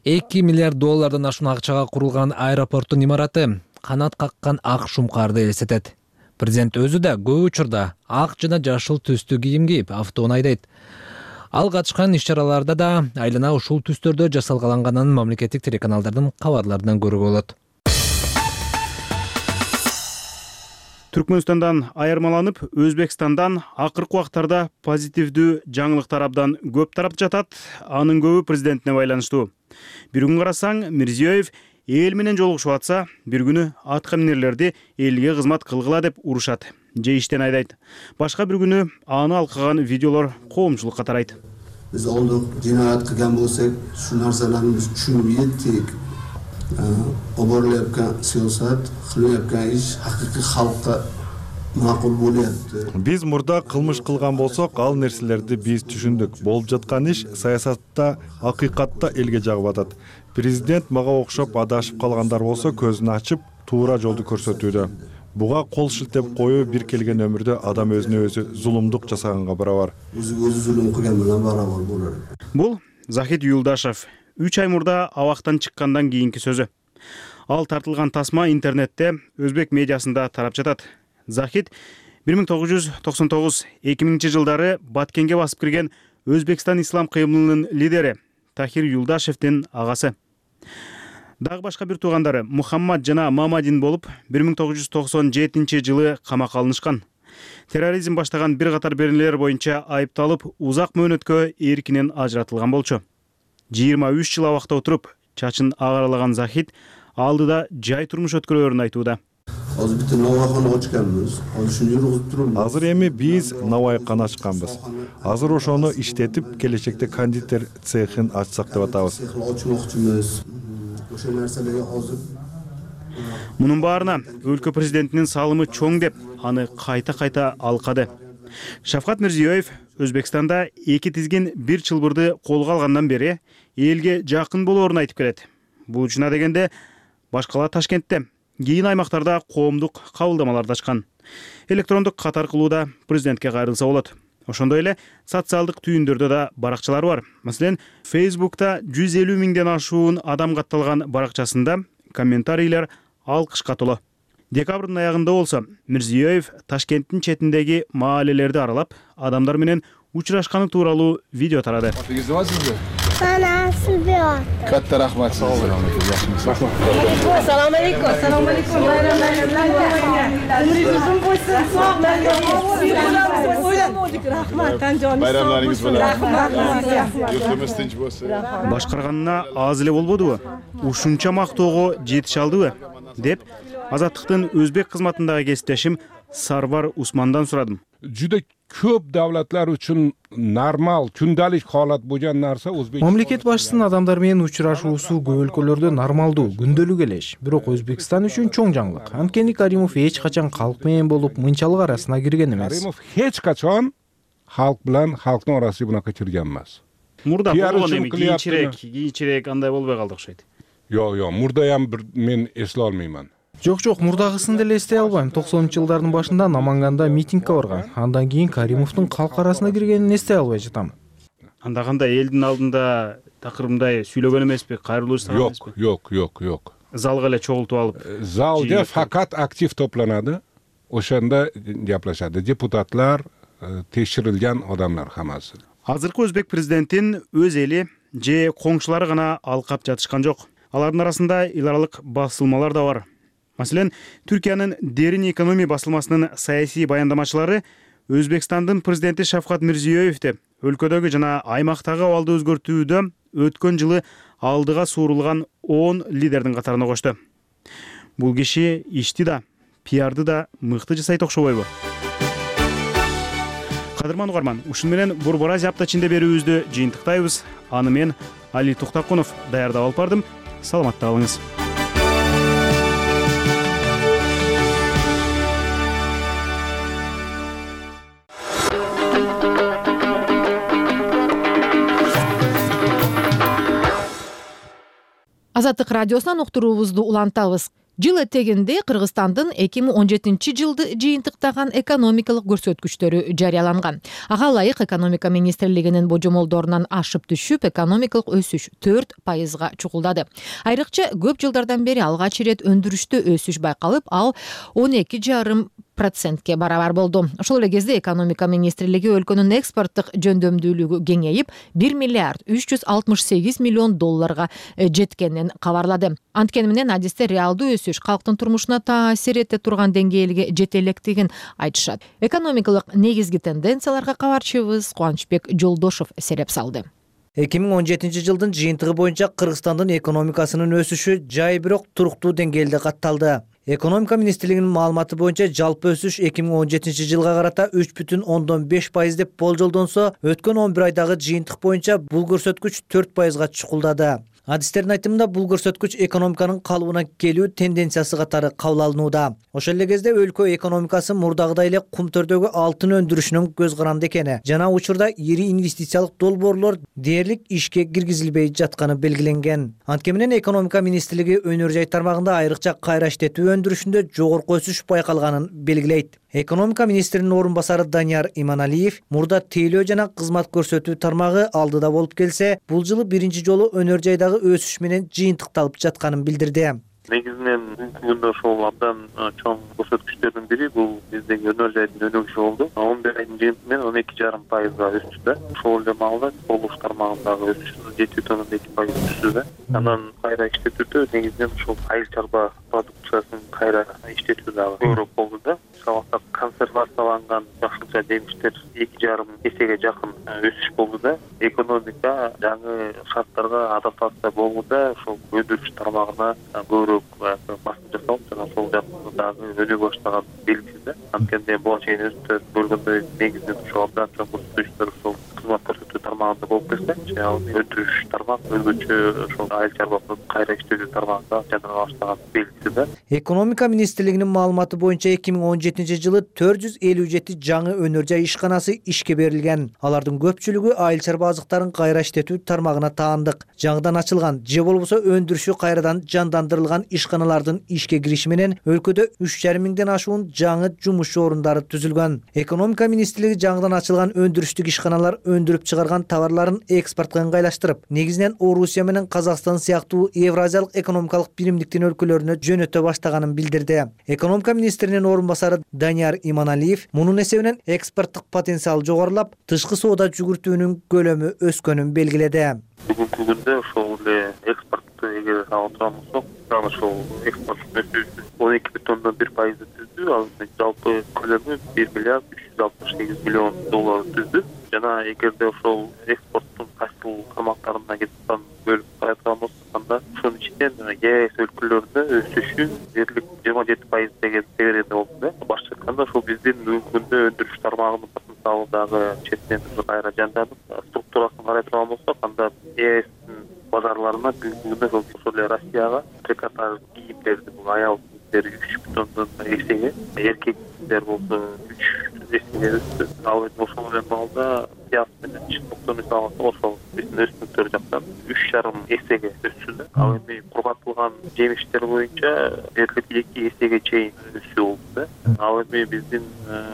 S2: $2 миллиард ашуун акчага курулган аэропорттун имараты канат каккан ак шумкарды элестетет. Президент өзү да көп учурда ак жана жашыл түстүү кийим кийип автоунаа айдайт. Ал катышкан иш-чараларда да айлана ушул түстөрдө жасалганганын мамлекеттик телеканалдардын кабарларынан көрүүгө болот.
S7: Түркмөнстандан айырмаланып, Өзбекстандан акыркы убактарда позитивдүү жаңылыктар абдан көп тарап жатат. Анын көбү президентине байланыштуу. Бир күн карасаң, Мирзиёев эл менен жолугушуп атса, бир күнү атка минерлерди элге кызмат кылгыла деп урушат же иштен айдайт. Башка бир күнү аны алкаган видеолор коомчулукка тарайт.
S14: Биз олдук жинаят кылган болсок, ушул нерселерди биз түшүнүп жеттик. Оборлепке саясат, кылыпка иш акыркы халкка макул болот.
S15: Биз мурда кылмыш кылган болсок, ал нерселерди биз түшүндүк. Болуп жаткан иш саясатта, акыйкатта элге жагып атат. Президент мага окшоп адашып калгандар болсо көзүн ачып, туура жолду көрсөтүүдө. Буга кол шилтеп коюу бир келген өмүрдө адам өзүнө өзү зулумдук жасаганга барабар.
S14: Өзү зулум кылган менен барабар болот.
S7: Бул Захид Юлдашев 3 ай мурда абактан чыккандан кийинки сөзү. Ал тартылган тасма интернетте өзбек медиасында тарап жатат. Захид 1999-2000 жылдары Баткенге басып кирген Өзбекстан ислам кыймылынын лидери Тахир Юлдашевдин агасы. Дагы башка бир туугандары Мухаммад жана Мамадин болуп, 1997-жылы камакка алынышкан. Терроризм баштаган бир катар беренелер боюнча айыпталып, узак мөөнөткө эркинен ажыратылган болчу. 23 жыл абакта отуруп, чачын агаралаган Захид алдыда жай турмуш өткөрөөрүн айтууда.
S14: Азыр бит навайканы ачканбыз. Азыр ушуну жүргүзүп турабыз.
S15: Азыр эми биз навайканы ачканбыз. Азыр ошону иштетип, келечекте кондитер цехин ачсак деп атабыз.
S14: Ачмакчыбыз. Ошол нерселерге азыр
S7: Мунун баарына өлкө президентинин салымы чоң деп аны кайта алкады. Шавкат Мирзиёев Өзбекстанда эки тизгин бир чылбырды колго алгандан бери элге жакын болоорун айтып келет. Бул учуна дегенде башкалар Ташкентте, кийин аймактарда коомдук кабылдамаларды ачкан. Электрондук катар кылууда президентке кайрылса болот. Ошондой эле социалдык түйүндөрдө да баракчалар бар. Маселен, Facebook'та 150 миңден ашуун адам катталган баракчасында комментарийлер алкышка толо. Декабрдын аягында болсо Мирзиёев Ташкенттин четиндеги маалелерди аралап, адамдар менен учурашканы тууралуу видео тарады.
S9: Katta rahmat.
S16: Assalomu alaykum. Assalomu alaykum. Umringiz bo'lsin. Sog' bo'lsin. Rahmat.
S9: Bayramlaringiz bilan. Yurtimiz tinch bo'lsin.
S7: Башкарганына аз эле болбодубу? Ушунча мактоого жетише алдыбы? деп Азаттыктын өзбек кызматындагы кесиптешим Сарвар Усмандан сурадым.
S17: Juda ko'p davlatlar uchun normal, kundalik holat bo'lgan narsa O'zbekiston.
S18: Mamlakat boshчысынын адамдар менен учурашуусу көп өлкөлөрдө нормалдуу, күндөлүк элеш. Бирок Өзбекстан үчүн чоң жаңылык. Анткени Каримов эч качан калк менен болуп, мынчалык арасына кирген эмес.
S17: Karimov hech qachon xalq bilan xalqning orasiga bunaqa kirgan emas.
S7: Мурда болгон эми кийинчерээк андай болбой калды окшойт.
S17: Yo'q, murda ham men eslay olmayman.
S18: Жок, мурдагысын деле эстей албайм. 90-жылдардын башында Наманганда митингге барган. Андан кийин Каримовдун калк арасына киргенин эстей албай жатам.
S7: Анда кандай элдин алдында такырымдай сүйлөгөн эмеспи, кайрылуу жасаган эмеспи?
S17: Yo'q.
S7: Залга эле чогултуп алып.
S17: Залда faqat aktiv to'planadi. O'shanda gaplashadi. Deputatlar, tekshirilgan odamlar hammasi.
S7: Азыркы өзбек президентин өз эли же коңшулары гана алкап жатышкан жок. Алардын арасында эл аралык басылмалар да бар. Маселен, Түркиянын Дерин экономия басылмасынын саясий баяндамачылары Өзбекстандын президенти Шавкат Мирзиёевди өлкөдөгү жана аймактагы абалды өзгөртүүдө өткөн жылы алдыга суурулган 10 лидердин катарына кошту. Бул киши ишти да, пиарды да мыкты жасайт окшобойбу? Кадырман угарман, ушун менен Борбор Азия апта ичинде берүүбүздү жыйынтыктайбыз. Аны мен Али Туктакунов даярдап алып бардым. Саламатта калыңыз.
S1: Азаттык радиосунан уктуруубузду улантабыз. Жыл этегинде Кыргызстандын 2017-жылды жыйынтыктаган экономикалык көрсөткүчтөрү жарыяланган. Ага ылайык экономика министрлигинин божомолдорунан ашып түшүп, экономикалык өсүш 4%га чукулдады. Айрыкча көп жылдардан бери алгач ирет өндүрүштө өсүш байкалып, ал 12,5%ке барабар болду. Ошол эле кезде экономика министрлиги өлкөнүн экспорттук жөндөмдүүлүгү кеңейип, 1 миллиард 368 миллион долларга жеткенин кабарлады. Анткени менен адисте реалдуу өсүш калктын турмушуна таасир эте турган деңгээлге жете электигин айтышат. Экономикалык негизги тенденцияларга кабарчыбыз Кубанычбек Жолдошов сереп салды.
S19: 2017-жылдын жыйынтыгы боюнча Кыргызстандын экономикасынын өсүшү жай бирок туруктуу деңгээлде катталды. Экономика министрлигинин маалыматы боюнча жалпы өсүш 2017-жылга карата 3,5% деп болжолдонсо, өткөн 11 айдагы жыйынтык боюнча бул көрсөткүч 4%га чукулдады. Адистердин айтымында бул көрсөткүч экономиканын калыбына келүү тенденциясы катары кабыл алынууда. Ошол эле кезде өлкө экономикасы мурдагыдай эле кумтөрдөгү алтын өндүрүшүнүн көз каранды экени жана учурда ири инвестициялык долбоорлор дээрлик ишке киргизилбей жатканы белгиленген. Анткени менен экономика министрлиги өнөр жай тармагында айрыкча кайра иштетүү өндүрүшүндө жогорку өсүш байкалганын белгилейт. Экономика министринин орун басары Данияр Иманалиев мурда тейлөө жана кызмат көрсөтүү тармагы алдыда болуп келсе, бул жылы биринчи жолу өнөр жайдагы өсүш менен жыйынтыкталып жатканын билдирди.
S20: Негизинен бүгүндө ошол абдан чоң көрсөткүчтөрдүн бири бул биздеги өнөр жайдын өнүгүшү болду. 11 айдын жыйынтыгы менен 12,5%га өстү. Ошол эле маалда курулуш тармагындагы өсүш 7,2% өстү. Анан кайра иштетүүдө негизинен ошол айыл чарба продукциясын кайра иштетүү дагы көбүрөөк болду да. Ошол консервацияланган жакшылыкча жемиштер 2,5 эсеге жакын өсүш болду да. Экономика жаңы шарттарга адаптация болууда ошол өндүрүш тармагына көбүрөөк көп басым жасалып, жана ошол жактан дагы өнүгө баштаган белгиси да. Анткени буга чейин өзүңүздөр көргөндөй негизинен ошол абдан чоң көрсөтүчтөр ошол кызмат көрсөтүү тармагында болуп келсе, ал өндүрүш тармак өзгөчө ошол айыл чарбалык кайра иштетүү тармагында жана баштаган белгиси да.
S19: Экономика министрлигинин маалыматы боюнча 2017-жылы 457 жаңы өнөр жай ишканасы ишке берилген. Алардын көпчүлүгү айыл чарба азыктарын кайра иштетүү тармагына таандык. Жаңыдан ачылган же болбосо өндүрүшү кайрадан жандандырылган ишканалардын ишке кириши менен өлкөдө 3,5 миңден ашуун жаңы жумуш орундары түзүлгөн. Экономика министрлиги жаңыдан ачылган өндүрүштүк ишканалар өндүрүп чыгарган товарларын экспортко ыңгайлаштырып, негизинен Орусия менен Казакстан сыяктуу Евразиялык экономикалык биримдиктин өлкөлөрүнө жөнөтө баштаганын билдирди. Экономика министринин орун басары Данияр Иманалиев мунун эсебинен экспорттук потенциал жогорулап, тышкы соода жүгүртүүнүн көлөмү өскөнүн белгиледи.
S20: Бүгүнкү күндө ошол эле экспортту эгер алып турган болсок, ошол экспорттун өсүүсү 12,1% түздү. Ал жалпы көлөмү 1 миллиард 368 миллион доллар түздү. Жана эгерде ошол экспорттун кайсыл тармактарына кетип бөлүп карайдыган болсок, анда ошонун ичинен ЕАЭС өлкөлөрүндө өсүшү дээрлик 27% деген себерде болду да. Башкача айтканда, ошол биздин бүгүнкү күндө өндүрүш тармагынын потенциалы дагы четинен кайра жанданып, структурасын карай турган болсок, анда ЕАЭСтин базарларына бүгүнкү күндө ошол эле Россияга трикотаж кийимдерди, аял кийимдери 3,1 эсеге, эркектер болсо 3 эсеге өстү. Ал эми ошол эле маалда пияз менен чындыкты мисалы ошол биздин өсүмдүктөр жактан 3,5 эсеге өссү да. Ал эми кургатылган жемиштер боюнча дээрлик 2 эсеге чейин өсүү болду да. Ал эми биздин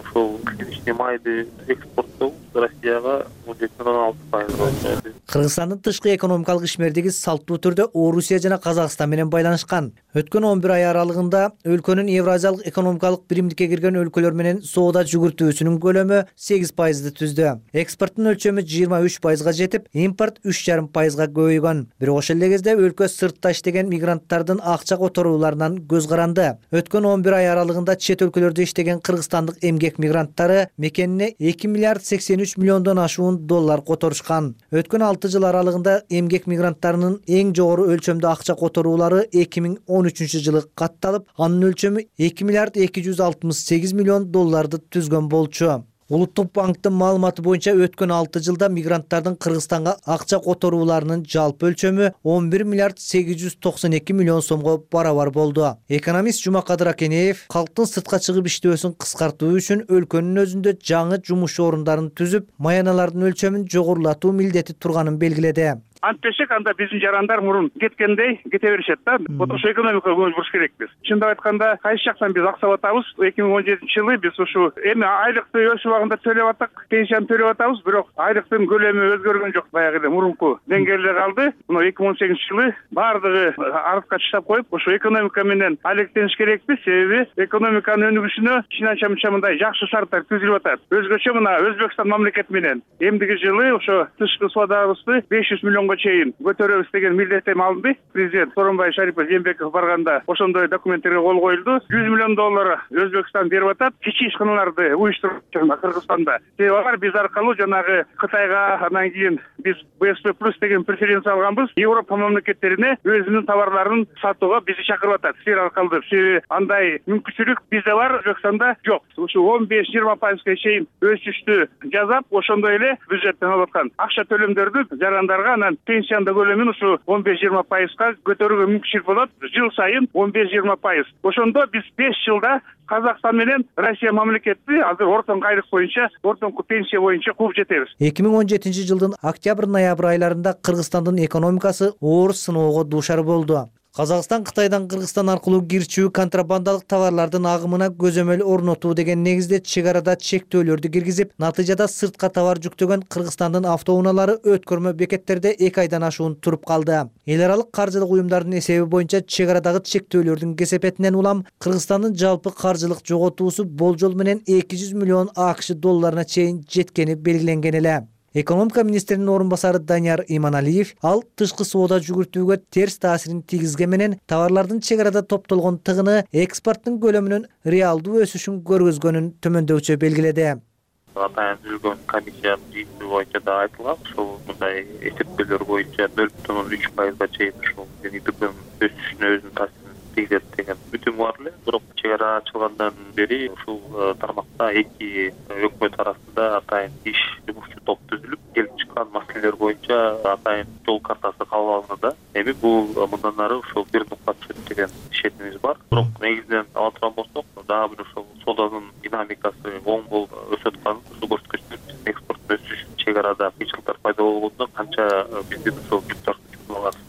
S20: ошол клиничный майды экспорттоо Россияга 17,6% болду.
S19: Кыргызстандын тышкы экономикалык ишмердиги салттуу түрдө Орусия жана Казакстан менен байланышкан. Өткөн 11 ай аралыгында өлкөнүн Евразиялык экономикалык биримдикке кирген өлкөлөр менен соода жүгүртүүсүнүн көлөмү 8% түздү. Экспорттун өлчөмү 23%га жетип, импорт 3,5%га көбөйгөн. Бирок ошол эле кезде өлкө сыртта иштеген мигранттардын акча которууларынан көз каранды. Өткөн 11 ай аралыгында чет өлкөлөрдө иштеген кыргызстандык эмгек мигранттары мекенине 2 миллиард 83 миллиондон ашуун доллар которушкан. Өткөн 6 жыл аралыгында эмгек мигранттарынын эң жогору өлчөмдө акча которуулары 2013-жылы катталып, анын өлчөмү 2 миллиард 268 миллион долларды түзгөн болчу. Улуттук банктын маалыматы боюнча өткөн 6 жылда мигранттардын Кыргызстанга акча которууларынын жалпы өлчөмү 11 миллиард 892 миллион сомго барабар болду. Экономист Жумакадыр Акенеев калктын сыртка чыгып иштөөсүн кыскартуу үчүн өлкөнүн өзүндө жаңы жумуш орундарын түзүп, маяналардын өлчөмүн жогорулатуу милдети турганын белгиледи.
S21: Антпешек анда биздин жарандар мурун кеткендей кете беришет да. Ошо экономикага көңүл буруш керекпиз. Чындап айтканда, кайсы жактан биз акча атабыз. 2017-жылы биз ушу эми айлыкты өз убагында төлөп аттык, пенсияны төлөп атабыз, бирок айлыктын көлөмү өзгөргөн жок. Баягы эле мурунку деңгээлде калды. Мына 2018-жылы бардыгы артка таштап коюп, ошо экономика менен алектениш керекпиз. Себеби экономиканын өнүгүшүнө чын мындай жакшы шарттар түзүлүп атат. Өзгөчө мына Өзбекстан мамлекети менен эмдиги жылы ошо тышкы соодабызды 500 миллионго чейин көтөрөбүз деген милдеттеме алынды. Президент Сооронбай Шарипов Жээнбеков барганда ошондой документтерге кол коюлду. 100 миллион доллар Өзбекстан берип атат. Кичи ишканаларды уюштуруп Кыргызстанда. Себеби алар биз аркылуу жанагы Кытайга, анан кийин биз БСП+ деген преференция алганбыз. Европа мамлекеттерине өзүнүн товарларын сатууга бизди чакырып атат. Силер аркылуу. Себеби андай мүмкүнчүлүк бизде бар, Өзбекстанда жок. Ушу 15-20% чейин өсүштү жасап, ошондой эле бюджеттен алып аткан акча төлөмдөрдү жарандарга, анан пенсияны көлөмүн ушу 15-20%га көтөрүүгө мүмкүнчүлүк болот. Жыл сайын 15-20%. Ошондо биз 5 жылда Казакстан менен Россия мамлекети азыр ортоңку айлык боюнча, ортоңку пенсия боюнча кууп жетебиз.
S19: 2017-жылдын октябрь-ноябрь айларында Кыргызстандын экономикасы оор сыноого дуушар болду. Казакстан Кытайдан Кыргызстан аркылуу кирчүү контрабандалык товарлардын агымына көзөмөл орнотуу деген негизде чек арада чектөөлөрдү киргизип, натыйжада сыртка товар жүктөгөн Кыргызстандын автоунаалары өткөрмө бекеттерде 2 айдан ашуун туруп калды. Эл аралык каржылык уюмдардын эсеби боюнча чек арадагы чектөөлөрдүн кесепетинен улам Кыргызстандын жалпы каржылык жоготуусу болжол менен 200 миллион АКШ долларына чейин жеткени белгиленген эле. Экономика министринин орун басары Данияр Иманалиев ал тышкы соода жүгүртүүгө терс таасирин тийгизген менен товарлардын чек арада топтолгон тыгыны экспорттун көлөмүнүн реалдуу өсүшүн көргөзгөнүн төмөндөүчө белгиледи.
S20: Атайын түзүлгөн комиссиянын жыйынтыгы боюнча да айтылган, ошол мындай эсептөөлөр боюнча 0,3%га чейин ушул өсүшүнө өзүнүн таасирин тийгизет деген үтүм бар эле. Бирок чек ара ачылгандан бери ушул тармакта эки өкмөт арасында атайын жумушчу топ түзүлүп, келип чыккан маселелер боюнча атайын жол картасы кабыл алынды. Эми бул мындан ары ушул бир нукта түшөт деген ишенимиз бар. Бирок негизинен ала турган болсок, дагы бир ушул соодонун динамикасы оң болуп өсүп атканын ушул көрсөткүчтөр экспорттун өсүш чек арада кыйынчылыктар пайда болгондо канча биздин ушул жүктөр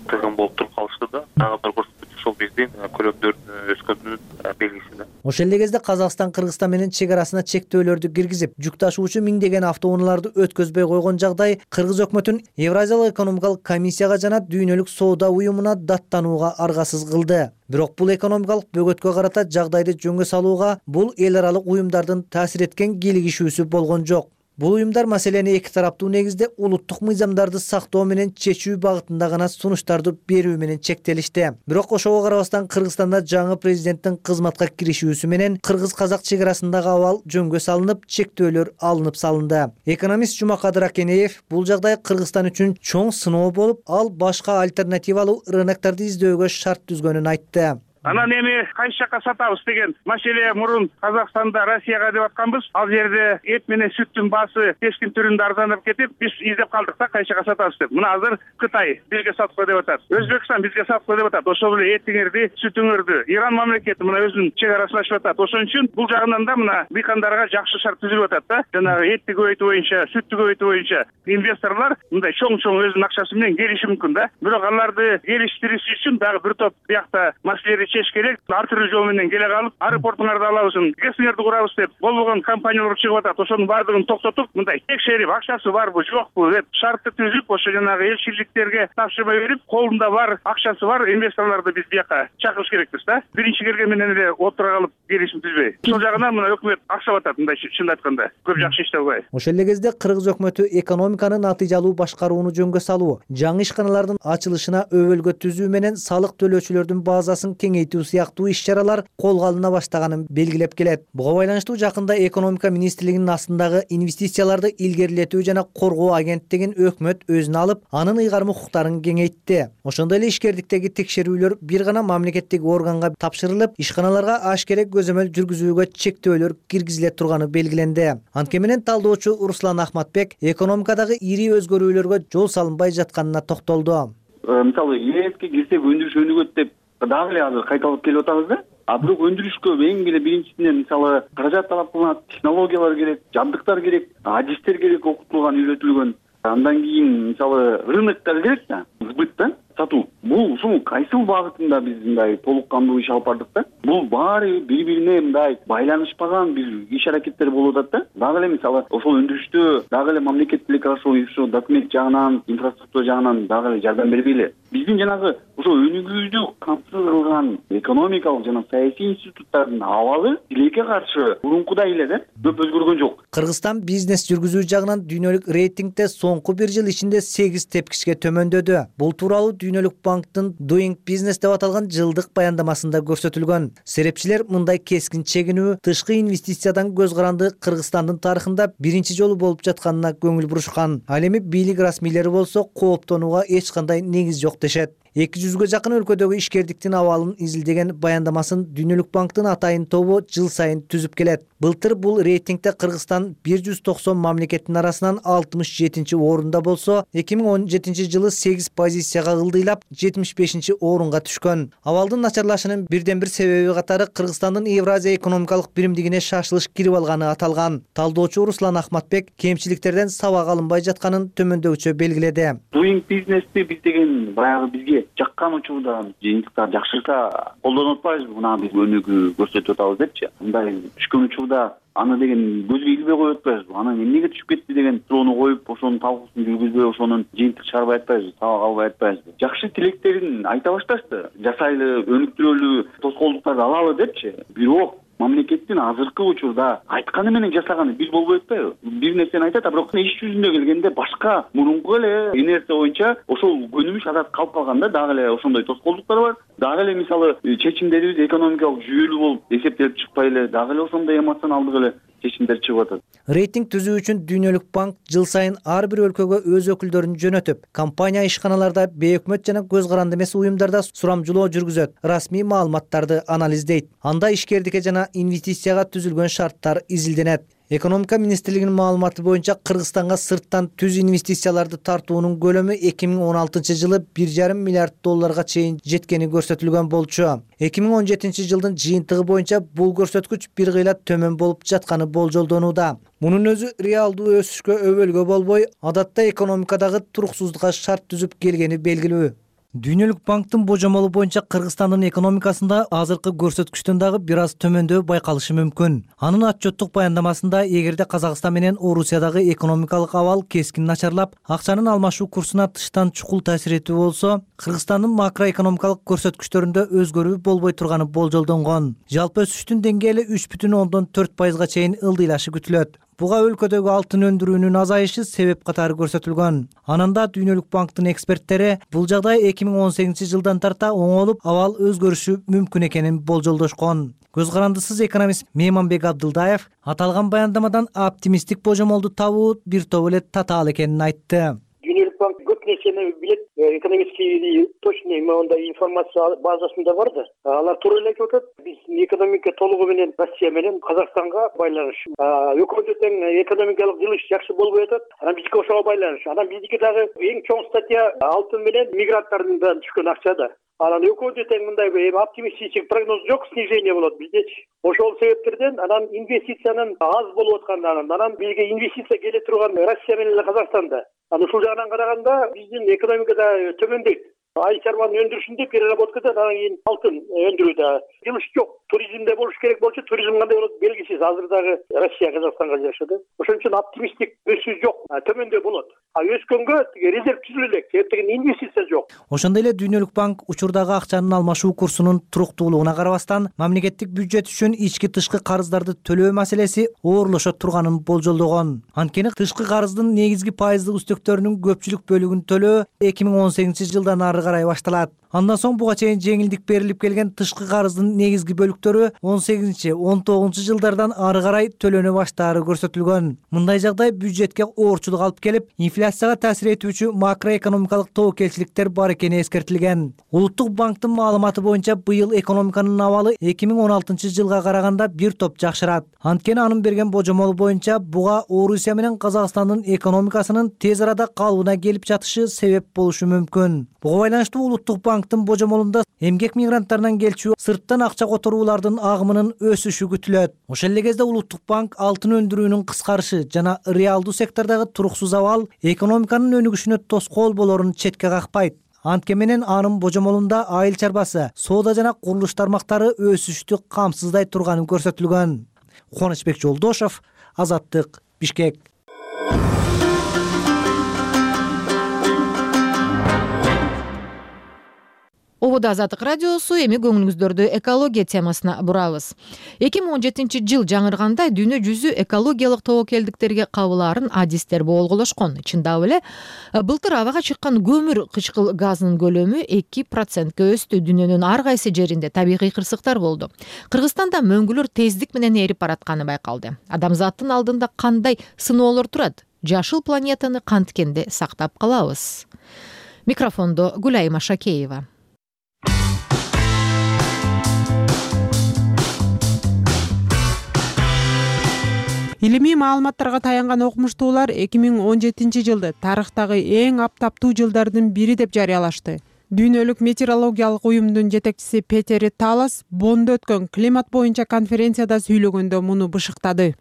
S20: тыгын болуп туруп калышты да, дагы бир көрсөткүч ушул биздин көлөмдөрдүн өскөнүнүн белгиси да.
S19: Ошол эле кезде Казакстан Кыргызстан менен чек арасына чектөөлөрдү киргизип, жүк ташуучу миңдеген автоунааларды өткөзбөй койгон жагдай Кыргыз өкмөтүн Евразиялык экономикалык комиссияга жана Дүйнөлүк соода уюмуна даттанууга аргасыз кылды. Бирок бул экономикалык бөгөткө карата жагдайды жөнгө салууга бул эл аралык уюмдардын таасир эткен кийлигишүүсү болгон жок. Бул уюмдар маселени эки тараптуу негизде улуттук мыйзамдарды сактоо менен чечүү багытында гана сунуштарды берүү менен чектелишти. Бирок ошого карабастан Кыргызстанда жаңы президенттин кызматка киришүүсү менен кыргыз-казак чек арасындагы абал жөнгө салынып, чектөөлөр алынып салынды. Экономист Жумакадыр Акенеев бул жагдай Кыргызстан үчүн чоң сыноо болуп, ал башка альтернативалуу рыноктарды издөөгө шарт түзгөнүн айтты.
S21: Анан эми кайсы жакка сатабыз деген маселе мурун Казакстанда Россияга деп атканбыз. Ал жерде эт менен сүттүн баасы кескин түрүндө арзандап кетип, биз издеп калдык да кайсы жакка сатабыз деп. Мына азыр Кытай бизге сатып кой деп атат. Өзбекстан бизге сатып кой деп атат. Ошол эле этиңерди, сүтүңөрдү Иран мамлекети мына өзүнүн чек арасын ачып атат. Ошон үчүн бул жагынан да мына дыйкандарга жакшы шарт түзүлүп атат да. Жанагы этти көбөйтүү боюнча, сүттү көбөйтүү боюнча инвесторлор мындай чоң-чоң өзүнүн акчасы менен келиши мүмкүн да. Бирок аларды келиштириш үчүн дагы бир топ биякта маселелерди чечиш керек. Ар түрдүү жол менен келе калып, аэропортуңарды алабыз, ГЭСиңерди курабыз деп болбогон компаниялар чыгып атат. Ошонун баардыгын токтотуп, мындай текшерип, акчасы барбы, жокпу деп шартты түзүп, ошо жанагы элчиликтерге тапшырма берип, колунда бар, акчасы бар инвесторлорду биз бияка чакырыш керекпиз да. Биринчи келген менен эле отура калып келишим түзбөй. Ошол жагынан мына өкмөт аксап атат, мындай чын айтканда. Көп жакшы иштей албай.
S19: Ошол эле кезде Кыргыз өкмөтү экономиканы натыйжалуу башкарууну жөнгө салуу, жаңы ишканалардын ачылышына өбөлгө түзүү менен салык төлөөчүлөрдүн базасын кеңейтүү сыяктуу иш-чаралар колго алына баштаганын белгилеп келет. Буга байланыштуу жакында экономика министрлигинин астындагы инвестицияларды илгерилетүү жана коргоо агенттигин өкмөт өзүнө алып, анын ыйгарым укуктарын кеңейтти. Ошондой эле ишкердиктеги текшерүүлөр бир гана мамлекеттик органга тапшырылып, ишканаларга ашкерек көзөмөл жүргүзүүгө чектөөлөр киргизиле турганы белгиленди. Анткени менен талдоочу Руслан Ахматбек экономикадагы ири өзгөрүүлөргө жол салынбай жатканына токтолду.
S4: Мисалы, ЕСке кирсек өндүрүш өнүгөт деп дагы эле азыр кайталап келип атабыз да. Бирок өндүрүшкө эң эле биринчисинен мисалы каражат талап кылынат, технологиялар керек, жабдыктар керек, адистер керек, окутулган, үйрөтүлгөн. Андан кийин мисалы рыноктар керек да, сбыт да, сатуу. Бул ушул кайсыл багытында биз мындай толук кандуу иш алып бардык да? Бул баары бири-бирине мындай байланышпаган бир иш аракеттер болуп атат да. Дагы эле мисалы ошол өндүрүштө дагы эле мамлекет тилекке каршы документ жагынан, инфраструктура жагынан дагы эле жардам бербей эле. Биздин жанагы ошо өнүгүүнү камсыз кылган экономикалык жана саясий институттардын абалы тилекке каршы мурункудай эле да, көп өзгөргөн жок.
S19: Кыргызстан бизнес жүргүзүү жагынан дүйнөлүк рейтингде соңку бир жыл ичинде 8 тепкичке төмөндөдү. Бул тууралуу Дүйнөлүк банктын Doing Business деп аталган жылдык баяндамасында көрсөтүлгөн. Серепчилер мындай кескин чегинүү тышкы инвестициядан көз каранды Кыргызстандын тарыхында биринчи жолу болуп жатканына көңүл бурушкан. Ал эми бийлик расмийлери болсо кооптонууга эч кандай негиз жок дешет. 200ге жакын өлкөдөгү ишкердиктин абалын изилдеген баяндамасын Дүйнөлүк банктын атайын тобу жыл сайын түзүп келет. Былтыр бул рейтингде Кыргызстан 190 мамлекеттин арасынан 67-чи орунда болсо, 2017 жылы 8 позицияга ылдыйлап 75-чи орунга түшкөн. Абалдын начарлашынын бирден бир себеби катары Кыргызстандын Евразия экономикалык биримдигине шашылыш кирип алганы аталган. Талдоочу Руслан Ахматбек кемчиликтерден сабак алынбай жатканын төмөндөгүчө белгиледи.
S4: Doing Business'ти биз деген баягы бизге жаккан учурда жыйынтыктар жакшырса колдонуп атпайбызбы, мына биз өнүгүү көрсөтүп атабыз депчи. Мындай түшкөн учурда аны деген көзгө илбей коюп атпайбызбы? Анан эмнеге түшүп кетти деген суроону коюп, ошонун талкуусун жүргүзбөй, ошонун жыйынтык чыгарбай атпайбызбы, сабак албай атпайбызбы? Жакшы тилектерин айта башташты. Жасайлы, өнүктүрөлүү тоскоолдуктарды алалы депчи. Бирок мамлекеттин азыркы учурда айтканы менен жасаганы бир болбой атпайбы? Бир нерсени айтат, бирок иш жүзүндө келгенде башка мурунку эле инерция боюнча ошол көнүмүш адат калып калганда дагы эле ошондой тоскоолдуктар бар. Дагы эле мисалы чечимдерибиз экономикалык жүйөлүү болуп эсептелип чыкпай эле, дагы эле ошондой эмоционалдык эле чечимдер чыгып атат.
S19: Рейтинг түзүү үчүн Дүйнөлүк банк жыл сайын ар бир өлкөгө өз өкүлдөрүн жөнөтүп, компания ишканаларда, бейөкмөт жана көз каранды эмес уюмдарда сурамжылоо жүргүзөт, расмий маалыматтарды анализдейт. Анда ишкердикке жана инвестицияга түзүлгөн шарттар изилденет. Экономика министрлигинин маалыматы боюнча Кыргызстанга сырттан түз инвестицияларды тартуунун көлөмү 2016 жылы 1,5 миллиард долларга чейин жеткени көрсөтүлгөн болчу. 2017 жылдын жыйынтыгы боюнча бул көрсөткүч бир кыйла төмөн болуп жатканы болжолдонууда. Мунун өзү реалдуу өсүшкө өбөлгө болбой, адатта экономикадагы туруксуздукка шарт түзүп келгени белгилүү. Дүйнөлүк банктын божомолу боюнча Кыргызстандын экономикасында азыркы көрсөткүчтөн дагы бир аз төмөндөө байкалышы мүмкүн. Анын отчеттук баяндамасында эгерде Казакстан менен Орусиядагы экономикалык абал кескин начарлап, акчанын алмашуу курсуна тыштан чукул таасир этүү болсо, Кыргызстандын макроэкономикалык көрсөткүчтөрүндө өзгөрүү болбой турганы болжолдонгон. Жалпы өсүштүн деңгээли 3,4% чейин ылдыйлашы күтүлөт. Буга өлкөдөгү алтын өндүрүүнүн азайышы себеп катары көрсөтүлгөн. Ананда Дүйнөлүк банктын эксперттери бул жагдай 2018 жылдан тарта оңолуп, абал өзгөрүшү мүмкүн экенин болжолдошкон. Көз карандысыз экономист Мейманбек Абдылдаев аталган баяндамадан оптимисттик божомолду табуу бир топ эле татаал экенин айтты.
S3: Дүйнөлүк банк көп нерсени билет, экономический точный мондай информация базасында бар да. Алар туура эле айтып атат. Биз экономика толугу менен Россия менен Казакстанга байланыш. Өкмөттү тең экономикалык жылыш жакшы болбой атат. Анан бизге ошого байланыш. Анан биздики дагы эң чоң статья алтын менен мигранттардан түшкөн акча да. Анан өкмөттү тең мындай оптимистичек прогноз жок, снижение болот биздечи. Ошол себептерден анан инвестициянын аз болуп аткандан анан бизге инвестиция келе турган Россия менен Казакстанда. Анан ушул жагынан караганда биздин экономикада төмөндөйт. Ай чарбанын өндүрүшүндө переработкада анан кийин алтын өндүрүүдө жылыш жок. Туризмде болуш керек болчу, туризм кандай болот белгисиз. Азыр дагы Россия Казакстанга жашады. Ошон үчүн оптимисттик өсүү жок, төмөндөө болот. Өскөнгө резерв түзүлө элек, себептен инвестиция жок.
S19: Ошондой эле Дүйнөлүк банк учурдагы акчанын алмашуу курсунун туруктуулугуна карабастан, мамлекеттик бюджет үчүн ички-тышкы карыздарды төлөө маселеси оорлошо турганын болжолдогон. Анткени тышкы карыздын негизги пайыздык үстөктөрүнүн көпчүлүк бөлүгүн төлөө 2018 жылдан ары карай башталат. Андан соң буга чейин жеңилдик берилип келген тышкы карыздын негизги бөлүктөрү 18-19 жылдардан ары карай төлөнө баштаары көрсөтүлгөн. Мындай жагдай бюджетке оорчулук алып келип, инфляцияга таасир этүүчү макроэкономикалык тобокелчиликтер бар экени эскертилген. Улуттук банктын маалыматы боюнча быйыл экономиканын абалы 2016 жылга караганда бир топ жакшырат. Анткени анын берген божомолу боюнча буга Орусия менен Казакстандын экономикасынын тез арада калыбына келип жатышы себеп болушу мүмкүн. Буга байланыштуу Улуттук банктын божомолунда эмгек мигранттарынан келчү сырттан акча которуулардын агымынын өсүшү күтүлөт. Ошол эле кезде Улуттук банк алтын өндүрүүнүн кыскарышы жана реалдуу сектордогу туруксуз абал экономиканын өнүгүшүнө тоскоол болорун четке какпайт. Антке менен анын божомолунда айыл чарбасы, соода жана курулуш тармактары өсүштү камсыздай турганы көрсөтүлгөн. Кубанычбек Жолдошов, Азаттык, Бишкек.
S1: Обода Азаттык радиосу, эми көңүлүңүздөрдү экология темасына бурабыз. 2017 жыл жаңыргандай дүйнө жүзү экологиялык тобокелдиктерге кабылаарын адистер болголошкон. Чындап эле былтыр абага чыккан көмүр кычкыл газынын көлөмү 2%ке өстү. Дүйнөнүн ар кайсы жеринде табигый кырсыктар болду. Кыргызстанда мөңгүлөр тездик менен эрип баратканы байкалды. Адамзаттын алдында кандай сыноолор турат? Жашыл планетаны канткенде сактап калабыз? Микрофондо Гүлайма Шакеева.
S22: Илимий маалыматтарга таянган окумуштуулар 2017 жылды тарыхтагы эң аптаптуу жылдардын бири деп жарыялашты. Дүйнөлүк метеорологиялык уюмдун жетекчиси Петер Талас Бонндо өткөн климат боюнча конференцияда сүйлөгөндө муну бышыктады.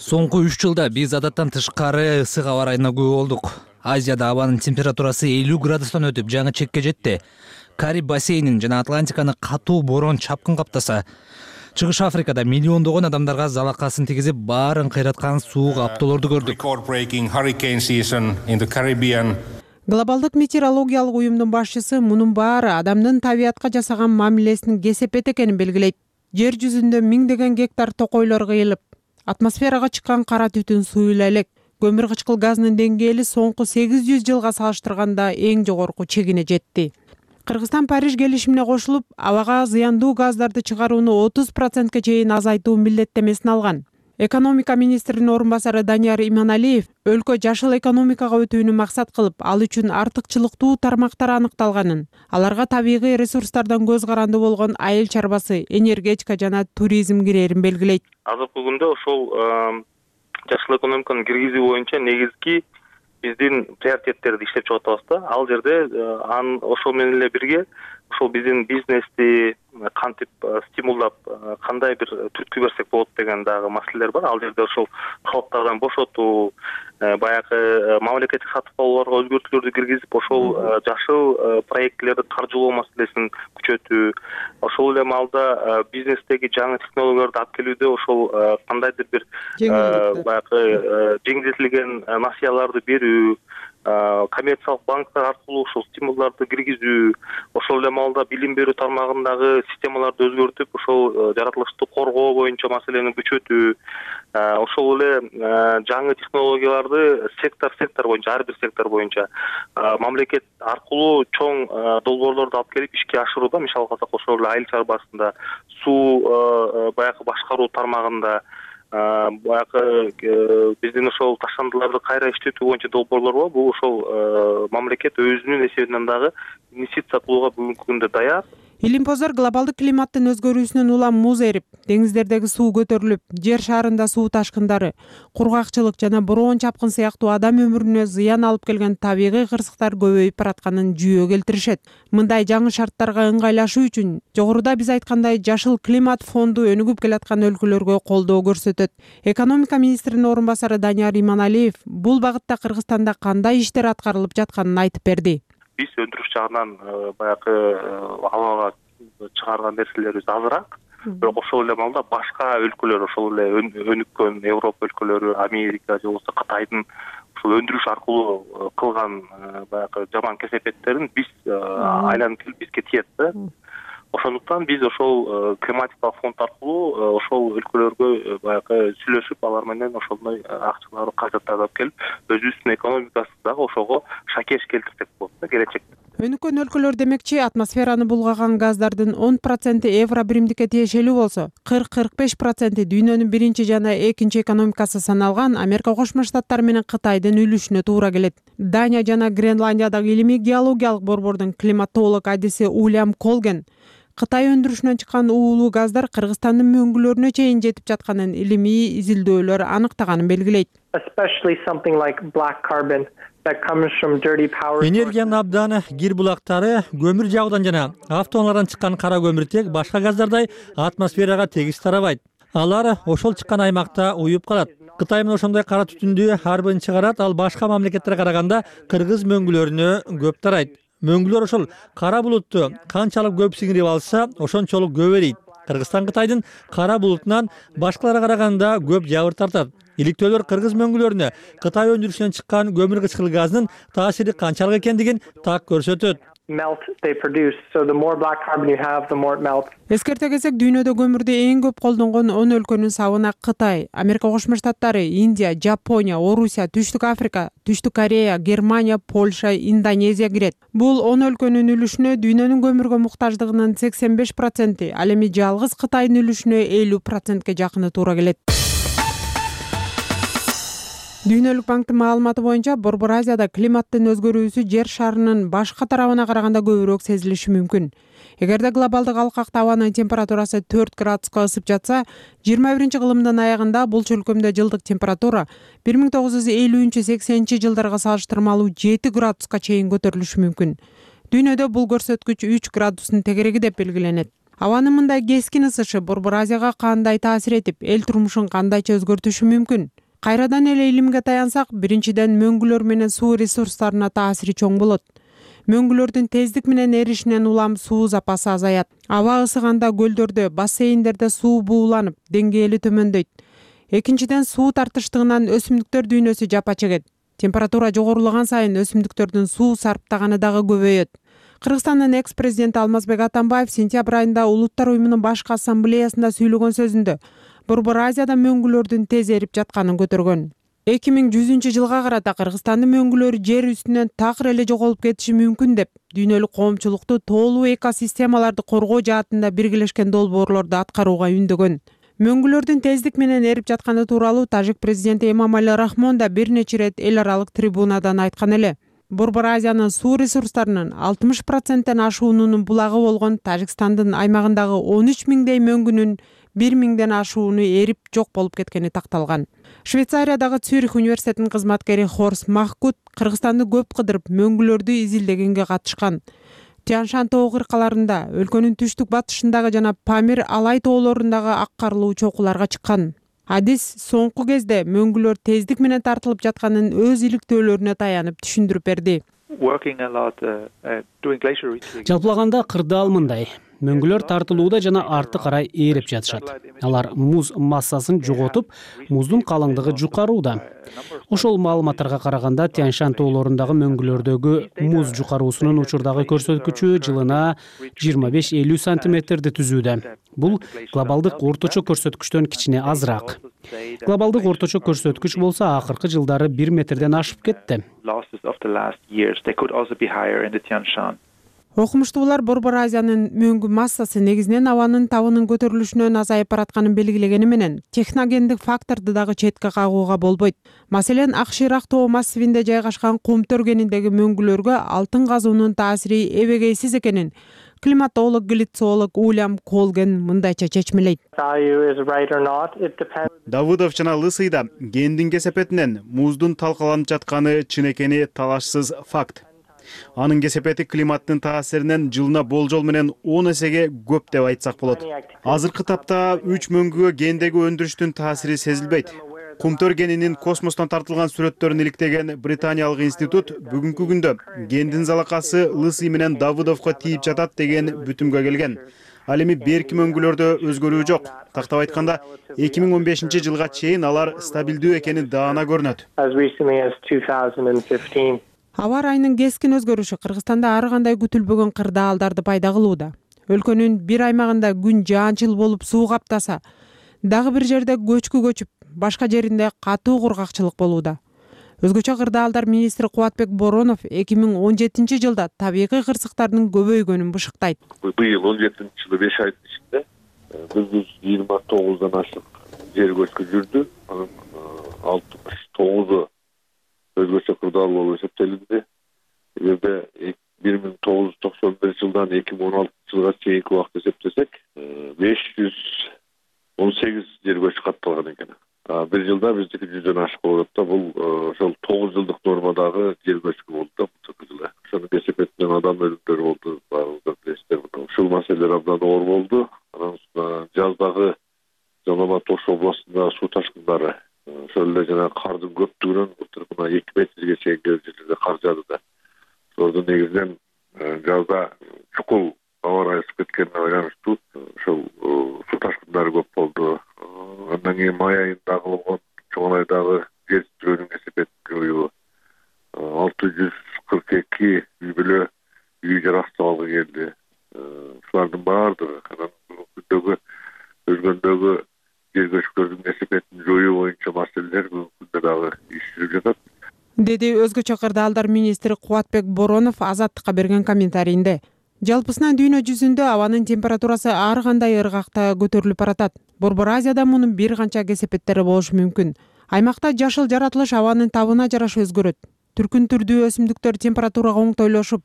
S2: Соңку 3 жылда биз адаттан тышкары ысык аба ырайына күбө болдук. Азияда абанын температурасы 50 градустан өтүп жаңы чекке жетти. Кариб бассейнин жана Атлантиканы катуу борон чапкын каптаса, Чыгыш Африкада миллиондогон адамдарга залакасын тийгизип, баарын кыйраткан суук аптоолорду көрдүк.
S22: Глобалдык метеорологиялык уюмдун башчысы мунун баары адамдын табиятка жасаган мамилесинин кесепети экенин белгилейт. Жер жүзүндө миңдеген гектар токойлор кыйылып, атмосферага чыккан кара түтүн суюла элек. Көмүр кычкыл газынын деңгээли соңку 800 жылга салыштырганда эң жогорку чегине жетти. Кыргызстан Париж келишимине кошулуп, абага зыяндуу газдарды чыгарууну 30%ке чейин азайтуу милдеттемесин алган. Экономика министринин орун басары Данияр Иманалиев өлкө жашыл экономикага өтүүнү максат кылып, ал үчүн артыкчылыктуу тармактар аныкталганын, аларга табигый ресурстардан көз каранды болгон айыл чарбасы, энергетика жана туризм кирээрин белгилейт.
S20: Азыркы күндө ошол жашыл экономиканы киргизүү боюнча негизги биздин приоритеттерди иштеп чыгып атабыз да. Ал жерде ошол менен эле бирге ошол биздин бизнести кантип стимулдап, кандай бир түрткү берсек болот деген дагы маселелер бар. Ал жерде ошол калыптардан бошотуу, баягы мамлекеттик сатып алууларга өзгөртүүлөрдү киргизип, ошол жашыл проектилерди каржылоо маселесин күчөтүү, ошол эле маалда бизнестеги жаңы технологияларды алып келүүдө ошол кандайдыр бир баягы жеңилдетилген насыяларды берүү, коммерциялык банктар аркылуу ошол стимулдарды киргизүү, ошол эле маалда билим берүү тармагындагы системаларды өзгөртүп, ошол жаратылышты коргоо боюнча маселени күчөтүү, ошол эле жаңы технологияларды сектор боюнча, ар бир сектор боюнча мамлекет аркылуу чоң долбоорлорду алып келип ишке ашырууда, мисалы алсак ошол эле айыл чарбасында, суу баягы башкаруу тармагында, баягы биздин ошол таштандыларды кайра иштетүү боюнча долбоорлор бар. Бул ошол мамлекет өзүнүн эсебинен дагы инвестиция кылууга бүгүнкү күндө даяр.
S22: Илимпоздор глобалдык климаттын өзгөрүүсүнөн улам муз эрип, деңиздердеги суу көтөрүлүп, жер шарында суу ташкындары, кургакчылык жана бороон чапкын сыяктуу адам өмүрүнө зыян алып келген табигый кырсыктар көбөйүп баратканын жүйө келтиришет. Мындай жаңы шарттарга ыңгайлашуу үчүн жогоруда биз айткандай жашыл климат фонду өнүгүп келаткан өлкөлөргө колдоо көрсөтөт. Экономика министринин орун басары Данияр Иманалиев бул багытта Кыргызстанда кандай иштер аткарылып жатканын айтып берди.
S20: Биз өндүрүш жагынан баягы абага чыгарган нерселерибиз азыраак, бирок ошол эле маалда башка өлкөлөр, ошол эле өнүккөн Европа өлкөлөрү, Америка же болбосо Кытайдын ошол өндүрүш аркылуу кылган баягы жаман кесепеттерин биз айланып келип бизге тиет да. Ошондуктан биз ошол климатикалык фонд аркылуу ошол өлкөлөргө баягы сүйлөшүп, алар менен ошондой акчаларды, каражаттарды алып келип, өзүбүздүн экономикасын дагы ошого шакеш келтирсек болот да келечекте.
S22: Өнүккөн өлкөлөр демекчи, атмосфераны булгаган газдардын 10% евро биримдикке тиешелүү болсо, 40-45% дүйнөнүн биринчи жана экинчи экономикасы саналган Америка Кошмо Штаттары менен Кытайдын үлүшүнө туура келет. Дания жана Гренландиядагы илимий геологиялык борбордун климатолог адиси Уильям Колген Кытай өндүрүшүнөн чыккан уулуу газдар Кыргызстандын мөңгүлөрүнө чейин жетип жатканын илимий изилдөөлөр аныктаганын белгилейт.
S5: Энергиянын абдан кир булактары көмүр жагуудан жана автоунаалардан чыккан кара көмүртек башка газдардай атмосферага тегиз тарабайт. Алар ошол чыккан аймакта уюп калат. Кытай менен ошондой кара түтүндү ар бирин чыгарат, ал башка мамлекеттерге караганда кыргыз мөңгүлөрүнө көп тарайт. Мөңгүлөр ошол кара булутту канчалык көп сиңирип алса, ошончолук көп эрийт. Кыргызстан Кытайдын кара булутунан башкаларга караганда көп жабыр тартат. Иликтөөлөр кыргыз мөңгүлөрүнө Кытай өндүрүшүнөн чыккан көмүр кычкыл газынын таасири канчалык экендигин так көрсөтөт.
S22: Эскерте кетсек, дүйнөдө көмүрдү эң көп колдонгон 10 өлкөнүн сабына Кытай, Америка Кошмо Штаттары, Индия, Жапония, Орусия, Түштүк Африка, Түштүк Корея, Германия, Польша, Индонезия кирет. Бул 10 өлкөнүн үлүшүнө дүйнөнүн көмүргө муктаждыгынын 85%, ал эми жалгыз Кытайдын үлүшүнө 50%ке жакыны туура келет. Дүйнөлүк банктын маалыматы боюнча, Борбор Азияда климаттын өзгөрүүсү жер шарынын башка тарабына караганда көбүрөөк сезилиши мүмкүн. Эгерде глобалдык алкак абанын температурасы 4 градуска ысып жатса, 21-кылымдын аягында бул чөлкөмдө жылдык температура 1950-80 жылдарга салыштырмалуу 7 градуска чейин көтөрүлүшү мүмкүн. Дүйнөдө бул көрсөткүч 3 градустун тегереги деп белгиленет. Абанын мындай кескин ысышы Борбор Азияга кандай таасир этип, эл турмушун кандайча өзгөртүшү мүмкүн? Кайрадан эле илимге таянсак, биринчиден мөңгүлөр менен суу ресурстарына таасири чоң болот. Мөңгүлөрдүн тездик менен эришинен улам суу запасы азаят. Аба ысыганда көлдөрдө, бассейндерде суу бууланып, деңгээли төмөндөйт. Экинчиден, суу тартыштыгынан өсүмдүктөр дүйнөсү жапа чегет. Температура жогорулаган сайын өсүмдүктөрдүн суу сарптаганы дагы көбөйөт. Кыргызстандын экс-президенти Алмазбек Атамбаев сентябрь айында Улуттар уюмунун башкы ассамблеясында сүйлөгөн сөзүндө Борбор Азияда мөңгүлөрдүн тез эрип жатканын көтөргөн. 2100-жылга карата Кыргызстандын мөңгүлөрү жер үстүнөн такыр эле жоголуп кетиши мүмкүн деп дүйнөлүк коомчулукту тоолуу экосистемаларды коргоо жаатында биргелешкен долбоорлорду аткарууга үндөгөн. Мөңгүлөрдүн тездик менен эрип жатканы тууралуу тажик президенти Эмомали Рахмон да бир нече ирет эл аралык трибунадан айткан эле. Борбор Азиянын суу ресурстарынын 60%-тен ашуунун булагы болгон Тажикстандын аймагындагы 13 миңдей мөңгүнүн 1 миңден ашууну эрип жок болуп кеткени такталган. Швейцариядагы Цюрих университетинин кызматкери Хорс Махкут Кыргызстанды көп кыдырып мөңгүлөрдү изилдегенге катышкан. Тянь-Шань тоо кыркаларында, өлкөнүн түштүк батышындагы жана Памир Алай тоолорундагы ак карлуу чокуларга чыккан. Адис соңку кезде мөңгүлөр тездик менен тартылып жатканын өз иликтөөлөрүнө таянып түшүндүрүп берди.
S6: Жалпылаганда кырдаал мындай: мөңгүлөр тартылууда жана арты карай ээрип жатышат. Алар муз массасын жоготуп, муздун калыңдыгы жукарууда. Ошол маалыматтарга караганда Тянь-Шань тоолорундагы мөңгүлөрдөгү муз жукаруусунун учурдагы көрсөткүчү жылына 25-50 сантиметрди түзүүдө. Бул глобалдык орточо көрсөткүчтөн кичине азыраак. Глобалдык орточо көрсөткүч болсо акыркы жылдары 1 метрден ашып кетти.
S22: Окумуштуулар Борбор Азиянын мөңгү массасы негизинен абанын табынын көтөрүлүшүнөн азайып баратканын белгилегени менен техногендик факторду дагы четке кагууга болбойт. Маселен, Акширак тоо массивинде жайгашкан кум төргениндеги мөңгүлөргө алтын казуунун таасири эбегейсиз экенин климатолог, глицолог Уильям Колген мындайча чечмелейт.
S7: Давыдов жана Лысыйда гендин кесепетинен муздун талкаланып жатканы чын экени талашсыз факт. Анын кесепети климаттын таасиринен жылына болжол менен 10 эсеге көп деп айтсак болот. Азыркы тапта 3 мөңгүгө гендеги өндүрүштүн таасири сезилбейт. Кумтөр генинин космостон тартылган сүрөттөрүн иликтеген британиялык институт бүгүнкү күндө гендин залакасы Лысый менен Давыдовго тийип жатат деген бүтүмгө келген. Ал эми берки мөңгүлөрдө өзгөрүү жок. Тактап айтканда, 2015-жылга чейин алар стабилдүү экени даана көрүнөт.
S22: Аба ырайынын кескин өзгөрүшү Кыргызстанда ар кандай күтүлбөгөн кырдаалдарды пайда кылууда. Өлкөнүн бир аймагында күн жаанчыл болуп суу каптаса, дагы бир жерде көчкү көчүп, башка жеринде катуу кургакчылык болууда. Өзгөчө кырдаалдар министри Кубатбек Боронов 2017 жылда табигый кырсыктардын көбөйгөнүн бышыктайт.
S8: Быйыл 17-жылы 5 айдын ичинде 129дан ашык жер көчкү жүрдү. Анын 69-у өзгөчө кырдаал болуп эсептелинди. Эгерде 1991 жылдан 2016 жылга чейинки убакытты эсептесек, 518 жер көчкү катталган экен. Bir жылда биздики 100дөн ашык болуп атат. Бул ошол 9 жылдык нормадагы жер көчкү болду да бул жылы. Ошонун кесепетинен адам өлүмдөрү болду. Баарыңыздар билесиздер. Ушул маселелер абдан оор болду. Анан жаздагы Жалал Тош областындагы суу ташкындары, ошол эле жана кардын көптүгүнөн мына 2 метрге чейин жерлерде кар жаады да. Ошолордун негизинен жазда чукул аба ырайы ысып кеткенине байланыштуу ошол суу ташкындары көп болду. Андан кийин май айында кылынган чоң айдагы жер тирөөнүн кесепетин жоюу, 642 үй бүлө үй жарактабалга келди. Ушулардын баардыгы анан бүгүнкү өзгөндөгү жер көчкүлөрдүн кесепетин жоюу боюнча маселелер бүгүнкү күндө дагы иш жүрүп жатат,
S22: деди өзгөчө кырдаалдар министри Кубатбек Боронов Азаттыкка берген комментарийинде. Жалпысынан дүйнө жүзүндө абанын температурасы ар кандай ыргакта көтөрүлүп баратат. Борбор Азияда мунун бир канча кесепеттери болушу мүмкүн. Аймакта жашыл жаратылыш абанын табына жараша өзгөрөт. Түркүн түрдүү өсүмдүктөр температурага оңтойлошуп,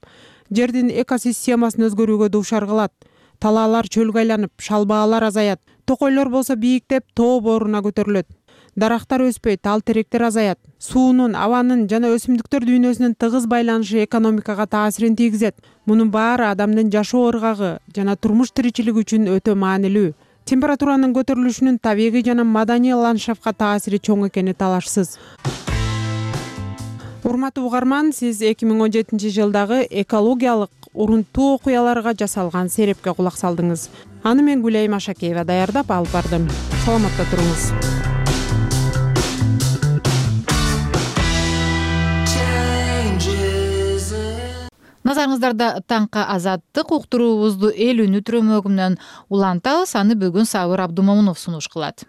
S22: жердин экосистемасын өзгөрүүгө дуушар кылат. Талаалар чөлгө айланып, шалбаалар азаят. Токойлор болсо бийиктеп, тоо бооруна көтөрүлөт. Дарактар өспөй, тал теректер азаят. Суунун, абанын жана өсүмдүктөр дүйнөсүнүн тыгыз байланышы экономикага таасирин тийгизет. Мунун баары адамдын жашоо ыргагы жана турмуш тиричилиги үчүн өтө маанилүү. Температуранын көтөрүлүшүнүн табигый жана маданий ландшафтка таасири чоң экени талашсыз. Урматтуу угарман, сиз 2017 жылдагы экологиялык урунттуу окуяларга жасалган серепке кулак салдыңыз. Аны мен Гүлайым Ашакеева даярдап алып бардым. Саламатта туруңуз.
S1: Назарыңыздарда таңкы азаттык уктуруубузду эл үнү түрөмөгүнөн улантабыз. Аны бүгүн Сабыр Абдумомунов сунуш кылат.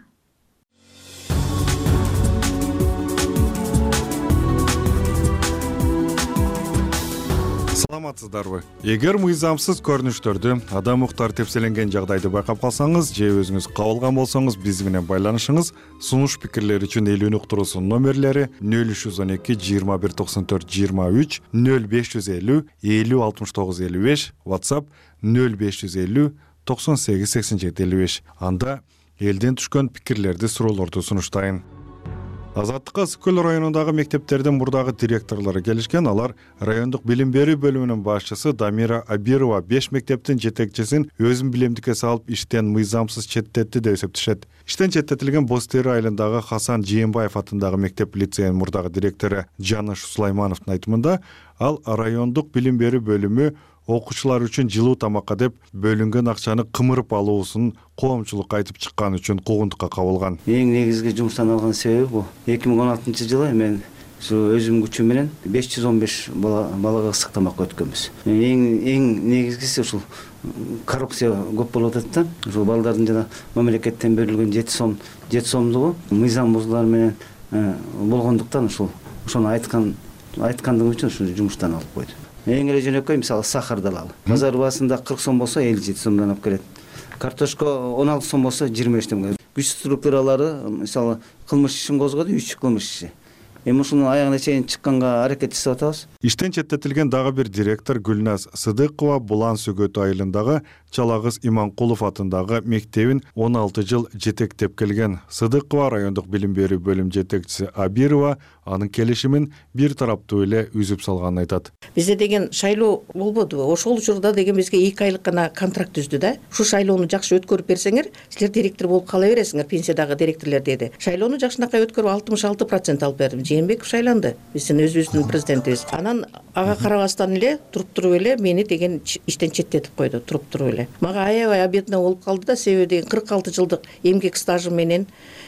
S15: саламатсыздарбы? Эгер мыйзамсыз көрүнүштөрдү, адам укуктары тепселенген жагдайды байкап калсаңыз же өзүңүз кабылган болсоңуз биз менен байланышыңыз. Сунуш пикирлер үчүн элүүнү уктуруусунун номерлери 0312 21 94 23 0550 50 69 55, WhatsApp 0550 98 87 55. Анда элден түшкөн пикирлерди, суроолорду сунуштайын. Азаттыкка Ысык көл районундагы мектептердин мурдагы директорлору келишкен. Алар райондук билим берүү бөлүмүнүн башчысы Дамира Абирова 5 мектептин жетекчисин өзүн билемдикке салып иштен мыйзамсыз четтетти деп эсептешет. Иштен четтетилген Боз Тери айылындагы Хасан Жээнбаев атындагы мектеп лицейнин мурдагы директору Жаныш Сулаймановдун айтымында, ал райондук билим берүү бөлүмү окуучулар үчүн жылуу тамакка деп бөлүнгөн акчаны кымырып алуусун коомчулукка айтып чыккан үчүн куугунтукка кабылган.
S10: Эң негизги жумуштан алган себеби бул 2016-жылы мен өзүмдүн күчүм менен 515 балага ысык тамак өткөнбүз. Эң негизгиси ушул коррупция көп болуп атат да. Ушул балдардын жана мамлекеттен берилген 7 сомдугу мыйзам бузуулар менен болгондуктан ошону айткандыгым үчүн ушул жумуштан алып койду. Эң эле жөнөкөй, мисалы сахарды алалы. Базар баасында 40 сом болсо 57 сомдон алып келет. Картошка 16 сом болсо 25 сомго. Күч структуралары мисалы кылмыш ишин козгоду, 3 кылмыш иши. Эми ушунун аягына чейин чыкканга аракет жасап атабыз.
S15: Иштен четтетилген дагы бир директор Гүлназ Сыдыкова Булан Сөгөт айылындагы Чалагыз Иманкулов атындагы мектебин 16 жыл жетектеп келген. Сыдыкова райондук билим берүү бөлүм жетекчиси Абирова анын келишимин бир тараптуу эле үзүп салганын айтат.
S12: Бизде деген шайлоо болбоду. Ошол учурда деген бизге 2 айлык гана контракт түздү да. Ушу шайлоону жакшы өткөрүп берсеңер, силер директор болуп кала бересиңер, пенсиядагы директорлор деди. Шайлоону жакшынакай өткөрүп 66% алып бердим. Жээнбеков шайланды. Биздин өзүбүздүн президентибиз. Анан ага карабастан эле туруп эле мени деген иштен четтетип койду, туруп эле. Мага аябай обидно болуп калды да, себеби деген 46 жылдык эмгек стажым менен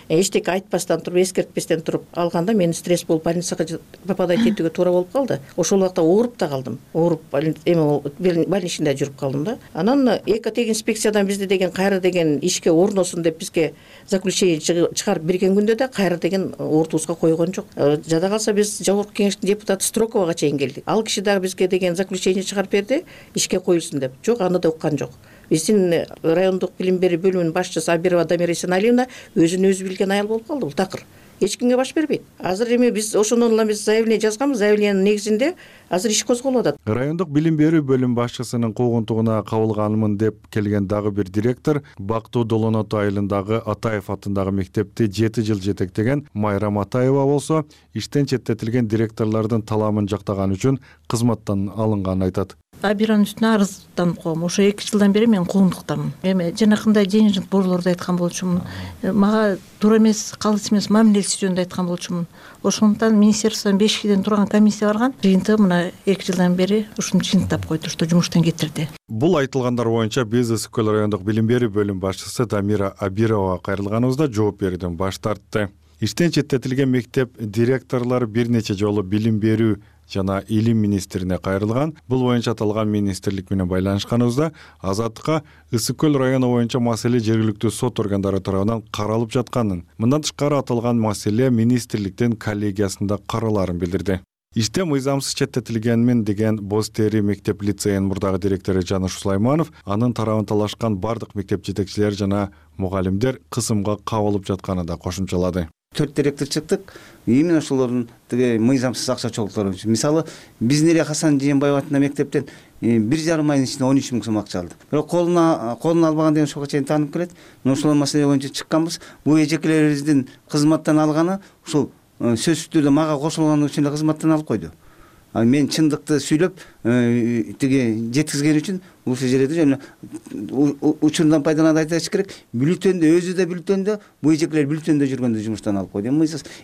S12: эчтеке айтпастан туруп, эскертпестен туруп алганда мен стресс болуп больницага попадать этүүгө туура болуп калды. Ошол убакта ооруп да калдым. Ооруп больничныйда жүрүп калдым да. Анан экотех инспекциядан бизди деген кайра деген ишке орносун деп бизге заключение чыгарып берген күндө да кайра деген ортубузга койгон жок. Жада калса биз жогорку кеңештин депутаты Строковага чейин келдик. Ал киши дагы бизге деген заключение чыгарып берди, ишке коюлсун деп. Жок, аны да уккан жок. Биздин райондук билим берүү бөлүмүнүн башчысы Абирова Дамира Исеналиевна өзүн өзү билген айыл болуп калды. Бул такыр эч кимге баш бербейт. Азыр эми биз ошондон улам биз заявление жазганбыз. Заявлениянын негизинде азыр иш козголуп атат.
S15: Райондук билим берүү бөлүм башчысынын куугунтугуна кабылганмын деп келген дагы бир директор Бактуу Долонот айылындагы Атаев атындагы мектепти 7 жыл жетектеген Майрам Атаева болсо, иштен четтетилген директорлордун таламын жактаган үчүн кызматтан алынганын айтат.
S23: Абиранын үстүнө арызданып койгом. Ошо 2 жылдан бери мен куугунтуктамын. Эми жанакындай денежник борлорду айткан болчумун. Мага туура эмес, калыс эмес мамилеси жөнүндө айткан болчумун. Ошондуктан министерстводон 5 кишиден турган комиссия барган. Жыйынтыгы мына 2 жылдан бери ушуну жыйынтап койду, что жумуштан кетирди.
S15: Бул айтылгандар боюнча биз Ысык көл райондук билим берүү бөлүм башчысы Дамира Абировага кайрылганыбызда жооп берүүдөн баш тартты. Иштен четтетилген мектеп директорлору бир нече жолу билим берүү жана илим министрине кайрылган. Бул боюнча аталган министрлик менен байланышканыбызда Азаттыкка Ысык көл району боюнча маселе жергиликтүү сот органдары тарабынан каралып жатканын, мындан тышкары аталган маселе министрликтин коллегиясында караларын билдирди. Иште мыйзамсыз четтетилгенмин деген Боз Тери мектеп лицейнин мурдагы директору Жаныш Сулайманов анын тарабын талашкан бардык мектеп жетекчилери жана мугалимдер кысымга кабылып жатканын да кошумчалады.
S10: 4 директор чыктык. Именно ошолордун тиги мыйзамсыз акча чогултуулары үчүн. Мисалы, биздин эле Хасан Жээнбаев атындагы мектептен 1,5 айдын ичинде 13 000 сом акча алды. Бирок колуна албаган деген ошого чейин таанып келет. Ошол маселе боюнча чыкканбыз. Бул эжекелерибиздин кызматтан алганы ушул сөзсүз түрдө мага кошулган үчүн эле кызматтан алып койду. Мен чындыкты сүйлөп тиги жеткизген үчүн ушул жерде жана учурундан пайдаланып айтыш керек. Бюллетендө өзү да бюллетендө, бул эжекелер бюллетендө жүргөндө жумуштан алып койду.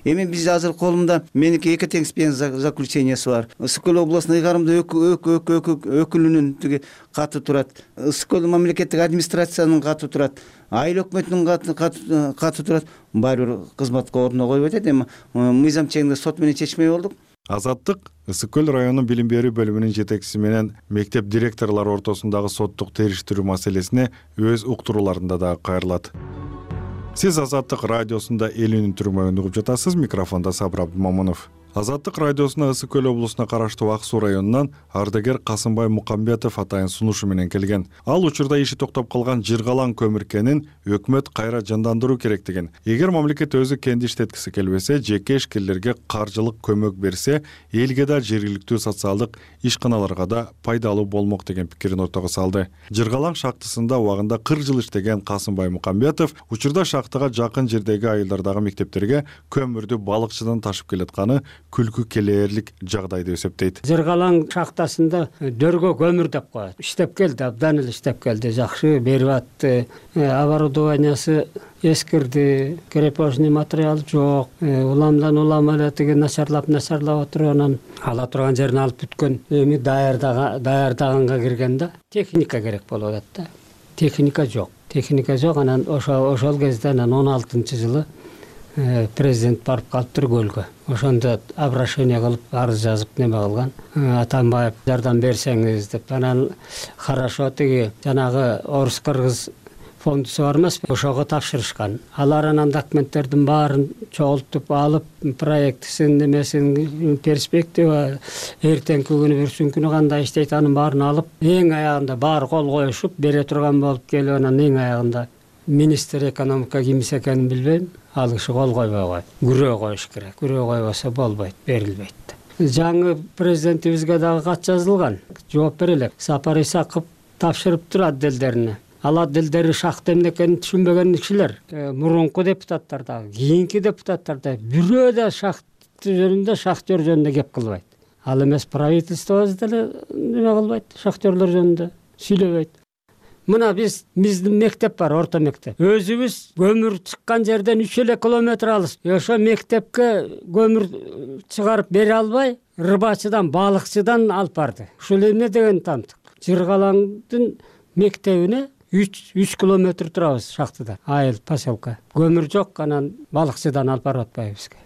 S10: Эми биз азыр колумда меники экотех инспекциясынын заключениясы бар. Ысык көл областный ыйгарымдуу өкүлүнүн тиги каты турат. Ысык көл мамлекеттик администрациянын каты турат. Айыл өкмөтүнүн каты турат. Баары бир кызматка ордуна коюп атат. Эми мыйзам чегинде сот менен чечмей болдук.
S15: Азаттык Ысык көл районунун билим берүү бөлүмүнүн жетекчиси менен мектеп директорлору ортосундагы соттук териштирүү маселесине өз уктурууларында да кайрылат. Сиз Азаттык радиосунда элүүнүн түрмөгүн угуп жатасыз. Микрофондо Сабыр Абдымомунов. Азаттык радиосуна Ысык Көл облусуна караштуу Ак Суу районунан ардагер Касымбай Мукамбетов атайын сунушу менен келген. Ал учурда иши токтоп калган Жыргалаң көмүркенин өкмөт кайра жандандыруу керектигин, эгер мамлекет өзү кенди иштеткиси келбесе, жеке ишкерлерге каржылык көмөк берсе, элге да жергиликтүү социалдык ишканаларга да пайдалуу болмок деген пикирин ортого салды. Жыргалаң шахтасында убагында 40 жыл иштеген Касымбай Мукамбетов учурда шахтага жакын жердеги айылдардагы мектептерге көмүрдү балыкчыдан ташып келатканы күлкү келээрлик жагдай деп эсептейт.
S11: Жыргалаң шахтасында дөргө көмүр деп коет. Иштеп келди, абдан эле иштеп келди, жакшы берип атты. Оборудованиясы эскирди, крепежный материал жок. Уламдан улам эле тиги начарлап отуруп, анан ала турган жерин алып бүткөн. Эми даярдаганга кирген да, техника керек болуп атат да. Техника жок, анан ошол кезде 16-жылы президент барып калыптыр көлгө. Ошондо обращение кылып, арыз жазып неме кылган. Атамбаев жардам берсеңиз деп. Анан хорошо тиги жанагы орус-кыргыз фондусу бар эмеспи? Ошого тапшырышкан. Алар анан документтердин баарын чогултуп алып, проектисин, немесин, перспектива, эртеңки күнү, бүрсүнкү күнү кандай иштейт, анын баарын алып, эң аягында баары кол коюшуп, бере турган болуп келип, анан эң аягында министр экономика кимис экенин билбейм, ал киши кол койбой койт. Күрөө коюш керек. Күрөө койбосо болбойт, берилбейт. Жаңы президентибизге дагы кат жазылган. Жооп берелек. Сапар Исаков тапшырыптыр отделдерине. Ал отделдери шахта эмне экенин түшүнбөгөн кишилер. Мурунку депутаттар дагы, кийинки депутаттар да бирөө да шахта жөнүндө, шахтер жөнүндө кеп кылбайт. Ал эмес правительствобуз деле неме кылбайт, шахтерлер жөнүндө сүйлөбөйт. Мына биздин мектеп бар, орто мектеп. Өзүбүз көмүр чыккан жерден 3 эле километр алыс. Ошо мектепке көмүр чыгарып бере албай, рыбачыдан, балыкчыдан алып барды. Ушул эмне деген тамтык? Жыргалаңдын мектебине 3 километр турабыз шахтада. Айыл, поселка. Көмүр жок, анан балыкчыдан алып барып атпайбызбы?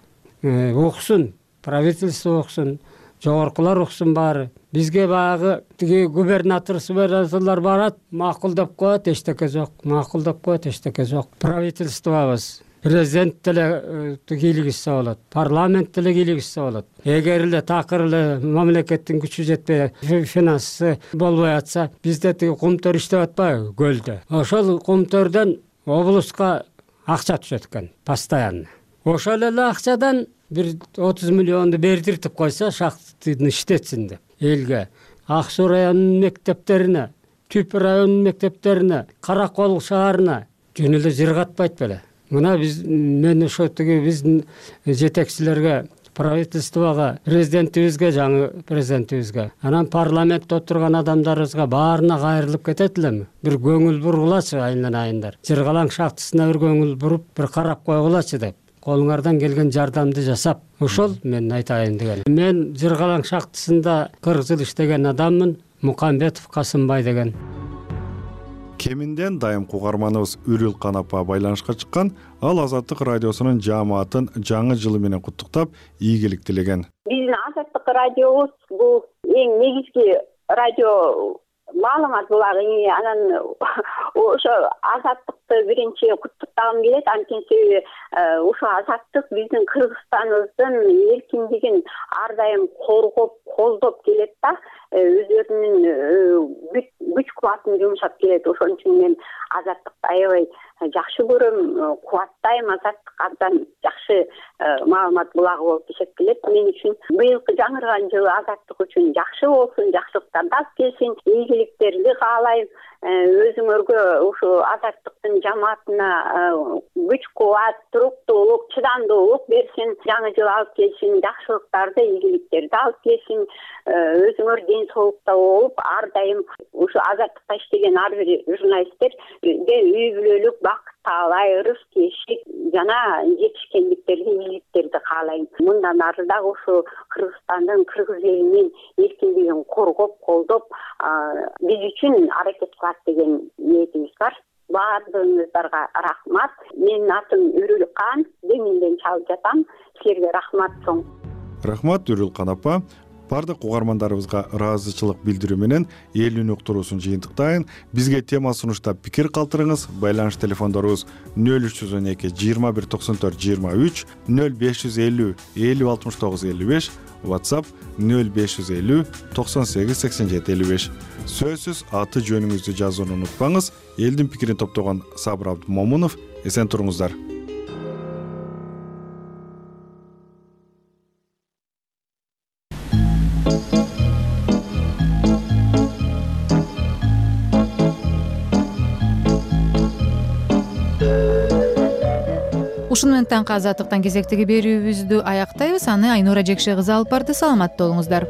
S11: Уксун, правительство уксун, жогоркулар уксун баары. Бизге багы тиги губернаторлар барат, макул деп коет, эчтеке жок. Макул деп коет, эчтеке жок. Правительствобуз, президент деле кийлигишсе болот, парламент деле кийлигишсе болот. Эгер эле такыр эле мамлекеттин күчү жетпей, финансы болбой атса, бизде тиги кумтөр иштеп атпайбы көлдө? Ошол кумтөрдөн облуска акча түшөт экен, постоянно. Ошол эле акчадан бир 30 миллионду бердиртип койсо, шахтаны иштетсин деп элге. Ак Суу районунун мектептерине, Түп районунун мектептерине, Каракол шаарына жөн эле жыргатпайт беле. Мына мен ошо тиги биздин жетекчилерге, правительствого, президентибизге, жаңы президентибизге, анан парламентте отурган адамдарыбызга баарына кайрылып кетет элем. Бир көңүл бургулачы айынан-айындар. Жыргалаң шахтасына бир көңүл буруп, бир карап койгулачы деп. Колуңардан келген жардамды жасап, ошол мен айтайын деген. Мен Жыргалаң шахтасында 40 жыл иштеген адаммын, Мукамбетов Касымбай деген.
S15: Кеминден дайым угарманыбыз Үрүл Канапа байланышка чыккан, ал Азаттык радиосунун жаамаатын жаңы жылы менен куттуктап, ийгилик тилеген.
S13: Биздин Азаттык радиобуз бул эң негизги радио маалымат булагы. Анан ошо Азаттыкты биринчи куттуктагым келет, анткени себеби ошо Азаттык биздин Кыргызстаныбыздын эркиндигин ар дайым коргоп, колдоп келет да, өздөрүнүн күч кубатын жумшап келет. Ошон үчүн мен Азаттыкты аябай жакшы көрөм, кубаттайм. Азаттык абдан жакшы маалымат булагы болуп эсептелет мен үчүн. Быйылкы жаңырган жылы Азаттык үчүн жакшы болсун, жакшылыктар да келсин, ийгиликтерди каалайм. Өзүңөргө ушу Азаттыктын жамаатына күч кубат, туруктуулук, чыдамдуулук берсин, жаңы жыл алып келсин, жакшылыктарды, ийгиликтерди алып келсин. Өзүңөр ден соолукта болуп, ар дайым ушу Азаттыкта иштеген ар бир журналисттерге үй бүлөлүк бакыт каалай, ырыс кешик жана жетишкендиктерди, ийгиликтерди каалайм. Мындан ары дагы ушу Кыргызстандын, кыргыз элинин эркиндигин коргоп, колдоп, биз үчүн аракет кылат деген ниетибиз бар. Баардыгыңыздарга рахмат. Менин атым Үрүл Кан, Деминден чалып жатам. Силерге рахмат чоң.
S15: Рахмат Үрүл Канапа. баардык угармандарыбызга ыраазычылык билдирүү менен элүүнү уктуруусун жыйынтыктайын. Бизге тема сунуштап пикир калтырыңыз. Байланыш телефондорубуз 0312 21 94 23, 0550 50 69 55, WhatsApp 0550 98 87 55. Сөзсүз аты жөнүңүздү жазууну унутпаңыз. Элдин пикирин топтогон Сабыр Абдымомунов. Эсен туруңуздар.
S1: Ушуну менен таңкы азаттыктан кезектеги берүүбүздү аяктайбыз. Аны Айнура Жекше кызы алып барды. Саламатта болуңуздар.